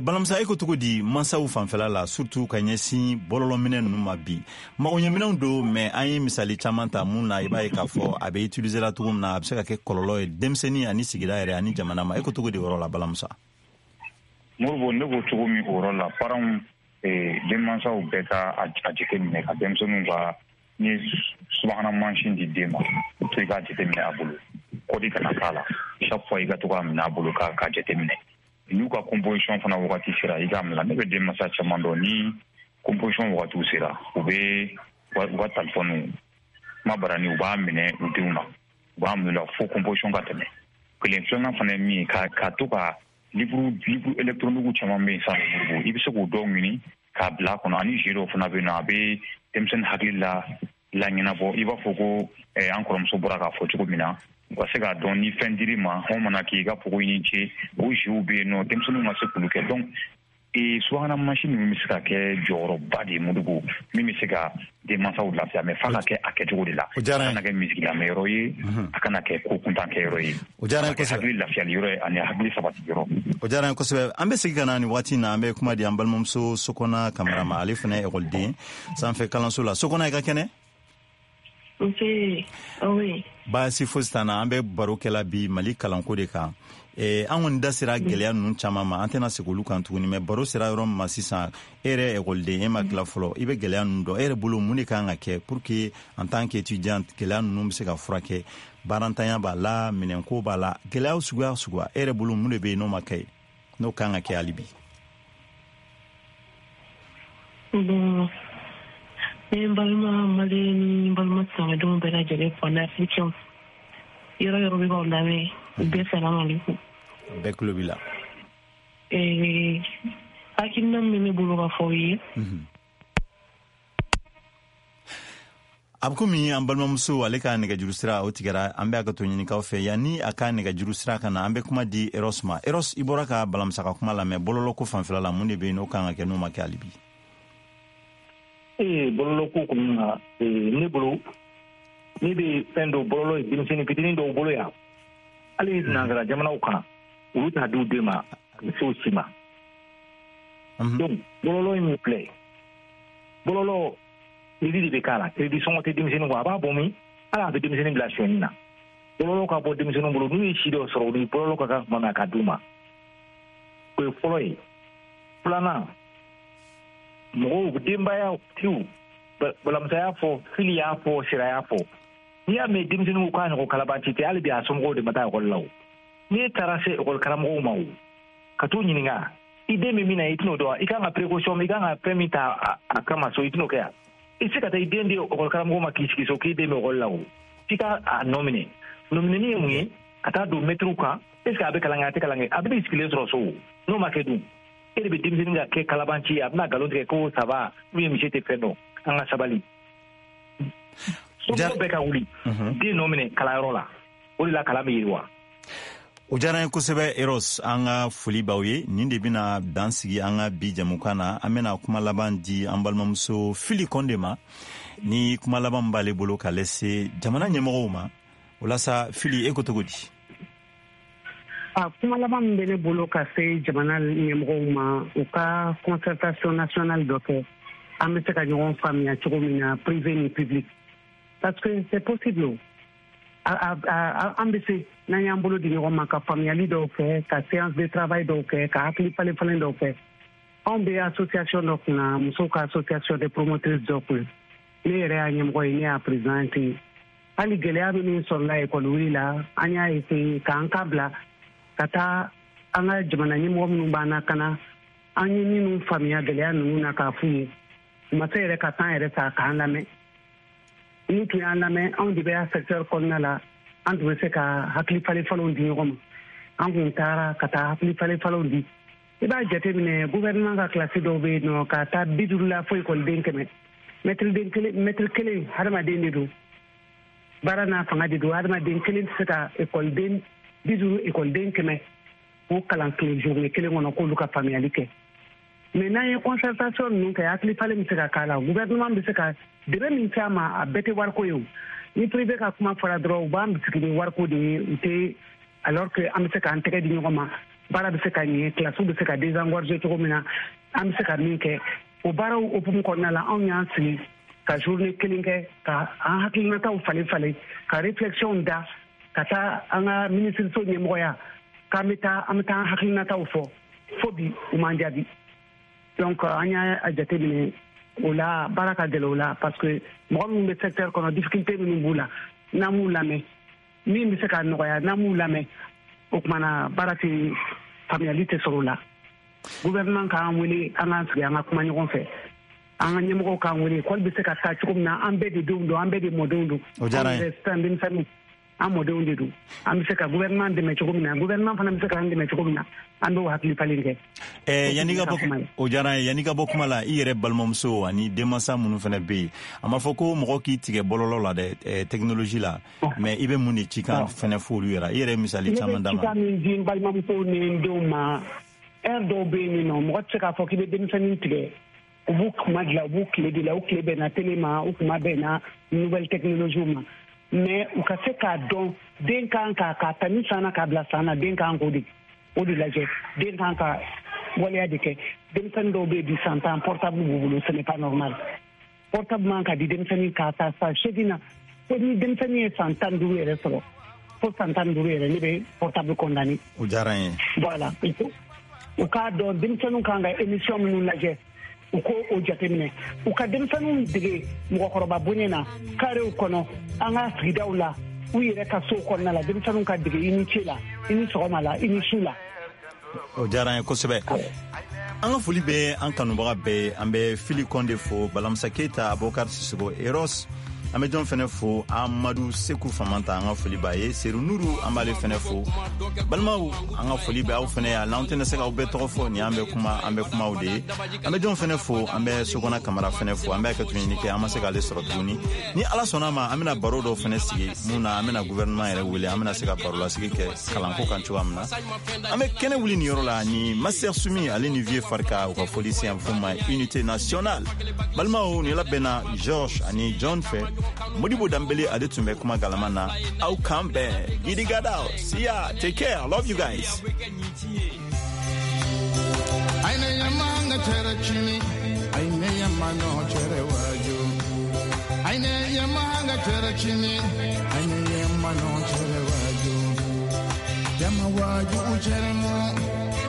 Balamusa, e ko cogo di mansaw fanfɛla la, surtout ka ɲɛsin bɔlɔlɔminɛ ninnu ma bi? Magoɲɛminɛnw don, mais an ye misali caman ta mun na, i b'a ye k'a fɔ a bɛ utiliser la cogo min na, a bɛ se ka kɛ kɔlɔlɔ ye denmisɛnnin ani sigida yɛrɛ ani jamana ma. E ko cogo di o yɔrɔ la, Balamusa? Moribo, ne ko cogo min o yɔrɔ la, parents, denmansaw bɛɛ ka a jateminɛ ka denmisɛnninw ka, ni subahana mansin di den ma, to i k'a jateminɛ a bolo, kɔdi kana k'a la, chaque fois i ka to k'a minɛ a bolo k'a jateminɛ. N'u ka composition fana wagati sera, i k'a minɛ. Ne bɛ denmansa caman dɔn, ni composition wagatiw sera, u bɛ u ka telefɔniw kuma barani, u b'a minɛ u denw na, u b'a minɛ la fo composition ka tɛmɛ. Kelen filanan fana ye min ye, ka to ka livre électronique caman bɛ yen sisan, i bɛ se k'o dɔw ɲini k'a bila a kɔnɔ, ani jeu dɔw fana bɛ yen nɔ, a bɛ denmisɛnnin hakili la laɲɛnabɔ. I b'a fɔ ko an kɔrɔmuso bɔra k'a fɔ cogo min na, u ka se k'a dɔn ni fɛn dir'i ma, hɔn mana k'i ka fɔ ko i ni ce, o jeuw bɛ yen nɔ, denmisɛnninw ka se k'olu kɛ. Donc subahana mansin ninnu bɛ se ka kɛ jɔyɔrɔba de ye, Modibo, min bɛ se ka denmansaw lafiya, mais f'a ka kɛ a kɛcogo de la. O diyara n ye. A kana kɛ misiki lamɛnyɔrɔ ye, a kana kɛ ko kuntan kɛyɔrɔ ye. O diyara n ye kosɛbɛ. A hakili lafiyali yɔrɔ ye ani hakili sabati yɔrɔ. O diyara n ye kosɛbɛ. An bɛ segin ka na nin waati in na, an bɛ kuma di an balimamuso Sokona Kamara ma, ale fana ye ekɔliden sanfɛ kalanso la. Sokona, i ka kɛnɛ? Nse, oui. Baasi fosi t'an na. An bɛ baro kɛla bi Mali kalanko de kan. An kɔni da sera gɛlɛya ninnu caman ma, an tɛna segin olu kan tuguni, mais baro sera yɔrɔ min ma sisan, e yɛrɛ ekɔliden, e ma tila fɔlɔ, i bɛ gɛlɛya ninnu dɔn. E yɛrɛ bolo, mun de kan ka kɛ pour que en tant qu'étudiant gɛlɛya ninnu bɛ se ka furakɛ? Baarantanya b'a la, minɛnko b'a la, gɛlɛya suguya suguya, e yɛrɛ bolo mun de bɛ yen n'o ma kɛ, n'o kan ka kɛ hali bi? Bon, ne balima Mali ni balima silamɛdenw bɛɛ lajɛlen fo, ani africain yɔrɔ yɔrɔ bɛ k'aw lamɛn, bɛɛ salamu aleykum. Bɛɛ tulo b'i la. Hakilina min bɛ ne bolo ka fɔ aw ye. A bɛ komi an balimamuso ale ka nɛgɛjuru sira o tigɛra, an bɛ hakɛto ɲinikaw fɛ. Yanni a ka nɛgɛjuru sira ka na, an bɛ kuma di Eros ma. Eros, i bɔra ka Balamusa ka kuma lamɛn bɔlɔlɔko fanfɛla la, mun de bɛ yen n'o kan ka kɛ n'o ma kɛ hali bi? Bɔlɔlɔko kɔni na, ne bolo, ne bɛ fɛn dɔ bɔlɔlɔ ye denmisɛnnin fitinin dɔw bolo yan, hali nansara jamanaw kan, olu t'a di u den ma, a bɛ se o si ma. Donc bɔlɔlɔ in min filɛ, bɔlɔlɔ crédit de bɛ k'a la, crédit sɔngɔ tɛ denmisɛnnin kun, a b'a bɔ min, hali a bɛ denmisɛnnin bila sonyɛni na. Bɔlɔlɔ ka bɔ denmisɛnninw bolo, n'u ye si dɔ sɔrɔ, u ni bɔlɔlɔ ka kan tuma min na, ka d'u ma. O ye fɔlɔ ye. Filanan, mɔgɔw denbaya tigiw, Balamusa y'a fɔ, Fili y'a fɔ, Sira y'a fɔ, n'i y'a mɛn denmisɛnninw k'a ɲɔgɔn kalabanci tɛ, hali bi a somɔgɔw de ma taa ekɔli la o. N'i taara se ekɔli karamɔgɔw ma o, ka t'u ɲininka, i den bɛ min na, i tɛn'o dɔn, i kan ka précaution, i kan ka fɛn min ta a kama so, i tɛn'o kɛ yan. I tɛ se ka taa i den di ekɔli karamɔgɔ ma k'i sigi so k'i den bɛ ekɔli la o. F'i ka a nɔ minɛ. Nɔminɛni ye mun ye? Ka taa don mɛtiriw kan, est ce que a bɛ kalan kɛ, a tɛ kalan kɛ, a bɛ n'i sigilen sɔrɔ so o. N'o ma kɛ dun, e de bɛ denmisɛnnin ka kɛ kalabanci ye, a bɛna nkalon tigɛ ko ça va, ou bien monsieur tɛ fɛn dɔn. An ka sabali. Somɔgɔw bɛɛ ka wuli, den nɔ minɛ kalanyɔrɔ la, o de la kalan bɛ yiriwa. O diyara n ye kosɛbɛ Eros, an ka foli b'aw ye. Nin de bɛna dan sigi an ka bi jɛmukan na. An bɛna kuma laban di an balimamuso Fili Kɔnde ma, ni kuma laban b'ale bolo ka lase jamana ɲɛmɔgɔw ma. O la sa, Fili, e ko cogo di? A kuma laban min bɛ ne bolo ka se jamana ɲɛmɔgɔw ma, u ka concertation nationale dɔ kɛ, an bɛ se ka ɲɔgɔn faamuya cogo min na, privé ni public, parce que c'est possible. An bɛ se, n'an y'an bolo di ɲɔgɔn ma, ka faamuyali dɔw kɛ, ka séance de travail dɔw kɛ, ka hakili falen falen dɔw kɛ. Anw bɛ association dɔ kunna, musow ka association de promotrices dɔ kunna, ne yɛrɛ y'a ɲɛmɔgɔ ye, ne y'a présidente ye. Hali gɛlɛya minnu sɔrɔla ekɔli wuli la, an y'a essayer k'an ka bila ka taa an ka jamana ɲɛmɔgɔ minnu b'an na ka na, an ye minnu faamuya gɛlɛya ninnu na, k'a f'u ye. U ma se yɛrɛ ka temps yɛrɛ ta k'an lamɛn. N'u tun y'an lamɛn, anw de bɛ secteur kɔnɔna la, an tun bɛ se ka hakili falen falenw di ɲɔgɔn ma. An kun taara ka taa hakili falen falenw di. I b'a jateminɛ, gouvernement ka kilasi dɔw bɛ yen nɔ, ka taa 50 la fo ekɔliden 100, mɛtiriden kelen, mɛtiri kelen, hadamaden de don, baara n'a fanga de don. Hadamaden kelen tɛ se ka ekɔliden 50, ekɔliden 100 k'o kalan tile journée kelen kɔnɔ, k'olu ka faamuyali kɛ. Mais n'an ye concertation ninnu kɛ, hakili falen bɛ se ka k'a la. Gouvernement bɛ se ka dɛmɛ min se a ma, a bɛɛ tɛ wariko ye. O ni privé ka kuma fɔra dɔrɔn, u b'an bisigi ni wariko de ye. U tɛ, alors que an bɛ se k'an tɛgɛ di ɲɔgɔn ma, baara bɛ se ka ɲɛ, kilasiw bɛ se ka désengorger cogo min na, an bɛ se ka min kɛ o baaraw hukumu kɔnɔna la. Anw y'an sigi ka journée kelen kɛ ka an hakilinataw falen falen, ka réflexion da ka taa an ka minisiriso ɲɛmɔgɔya k'an bɛ taa, an bɛ taa an hakilinataw fɔ. Fo bi, u m'an jaabi. Donc an y'a jateminɛ o la, baara ka gɛlɛn o la, parce que mɔgɔ minnu bɛ secteur kɔnɔ, difficulté minnu b'u la, n'an m'u lamɛn, min bɛ se ka nɔgɔya, n'an m'u lamɛn, o kumana baara tɛ, faamuyali tɛ sɔrɔ o la. Gouvernement k'an wele, an k'an sigi, an ka kuma ɲɔgɔn fɛ, an ka ɲɛmɔgɔw k'an wele, école bɛ se ka taa cogo min na. An bɛɛ de denw don, an bɛɛ de mɔdenw don. O diyara n ye. Sisan denmisɛnninw, an mɔdenw de don. An bɛ se ka gouvernement dɛmɛ cogo min na, gouvernement fana bɛ se k'an dɛmɛ cogo min na, an b'o hakili falen kɛ. Yanni ka bɔ, o diyara n ye. Yanni ka bɔ kuma la, i yɛrɛ balimamuso ani denmansa minnu fana bɛ yen, a ma fɔ ko mɔgɔ k'i tigɛ bɔlɔlɔ la dɛ, technologie la, mais i bɛ mun de cikan fana fɔ olu yɛrɛ? I yɛrɛ ye misali caman d'a ma. Ne bɛ cikan min di n balimamusow ni n denw ma, heure dɔw bɛ yen nɔ, mɔgɔ tɛ se k'a fɔ k'i bɛ denmisɛnnin tigɛ. U b'u kuma dilan, u b'u tile de la, u tile bɛnna télé ma, u kuma bɛnna nouvelle technologie ma. Mais u ka se k'a dɔn, den kan ka k'a ta ni san na k'a bila san na, den kan k'o de o de lajɛ, den kan ka waleya de kɛ. Denmisɛnnin dɔw bɛ yen bi, san 10, portable b'u bolo. Ce n'est pas normal. Portable man ka di denmisɛnnin k'a ta san 8 na. Fo ni denmisɛnnin ye san 15 yɛrɛ sɔrɔ, fo san 15 yɛrɛ, ne bɛ portable condamné. O diyara n ye. Voilà, u k'a dɔn denmisɛnninw kan ka émission minnu lajɛ, u ko o jateminɛ. U ka denmisɛnninw dege mɔgɔkɔrɔba bonya na, karew kɔnɔ, an ka sigidaw la, u yɛrɛ ka sow kɔnɔna la. Denmisɛnninw ka dege i ni ce la, i ni sɔgɔma la, i ni su la. O diyara n ye kosɛbɛ. An ka foli bɛ an kanubaga bɛɛ. An bɛ Fili Kɔnde fo, Balamusa Keyita, Abubakar Sisoko, Eros. An bɛ jɔn fɛnɛ fo? Amadu Seku Famanta, an ka foli b'a ye. Seru Nuru, an b'ale fɛnɛ fo. Balimaw, an ka foli bɛ aw fɛnɛ ye. N'anw tɛna se k'aw bɛɛ tɔgɔ fɔ, nin an bɛ kuma, an bɛ kumaw de ye. An bɛ jɔn fɛnɛ fo? An bɛ Sokɔnɔ Kamara fɛnɛ fo. An bɛ hakɛto ɲini kɛ, an ma se k'ale sɔrɔ tuguni. Ni Ala sɔnna ma, an bɛna baro dɔw fɛnɛ sigi mun na, an bɛna gouvernement yɛrɛ wele, an bɛna se ka barolasigi kɛ kalanko kan cogoya min na. An bɛ kɛnɛ wuli nin yɔrɔ la ni Master Sumi ale ni Vieux Farika, u ka foli se an f'o ma Unité Nationale. Balimaw, nin labɛnna George ani John fɛ. Modibo Danbele ale tun bɛ kuma galama na. Aw kan bɛn. Gidi gadaw. See ya, take care, love you guys. Aine yamanga chere chini, aine yamano chere waju. Aine yamanga chere chini, aine yamano chere waju. Yama waju chere mo,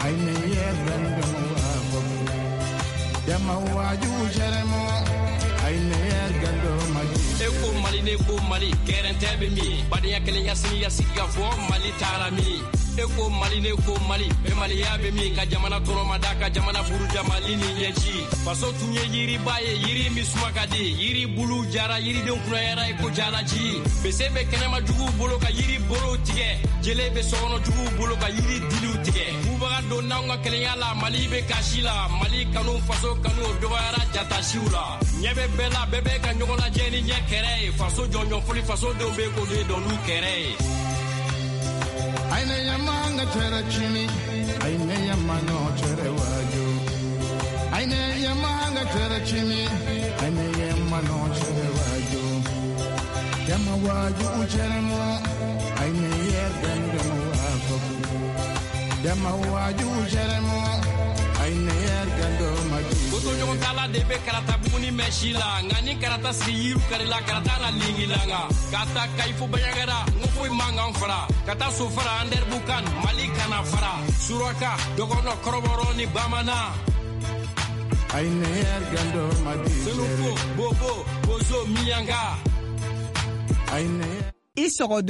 aine yemendo mo. Yama waju chere mo, aine yegando maji. E ko Mali, ne ko Mali, gɛrɛntɛ bɛ min? Badenya, kelenya, siniya, sigi ka fɔ, Mali taara min? E ko Mali, ne ko Mali, bɛnbaliya bɛ min? Ka jamana tɔnɔmada, ka jamana buruja, Mali ni ɲɛci. Faso tun ye yiriba ye, yiri min suma ka di, yiri bulu jara, yiridenw kunnayara i ko jalaji. Bese bɛ kɛnɛma juguw bolo ka yiri bolow tigɛ, jele bɛ sokɔnɔ juguw bolo ka yiri diliw tigɛ. Bubaga don n'anw ka kelenya la, Mali bɛ kasi la. Mali kanu, faso kanu, o dɔgɔyara jatasiw la. Ɲɛ bɛ bɛɛ la, bɛɛ bɛ ka ɲɔgɔn lajɛ ni ɲɛ kɛrɛ ye. Faso jɔnjɔn foli, faso denw bɛ k'o de dɔn n'u kɛrɛ ye. Aine yamanga chere chini, aine yamano chere waju. Aine yamanga chere chini, aine yamano chere waju. Yama waju chere mo, Kotoɲɔgɔn tala de bɛ karata buguni mɛ si la, nka ni karata sigi yiriw karila, karata na lingilanga ka taa Kayi fo Baɲagara, n ko foyi man kan fara ka taa Sofara, Andɛribukan, Mali kana fara Suraka, Dɔgɔnɔ, Kɔrɔbɔrɔ ni Bamanan, Senufo, Bobo, Bozo, Miyanka. I sɔgɔ.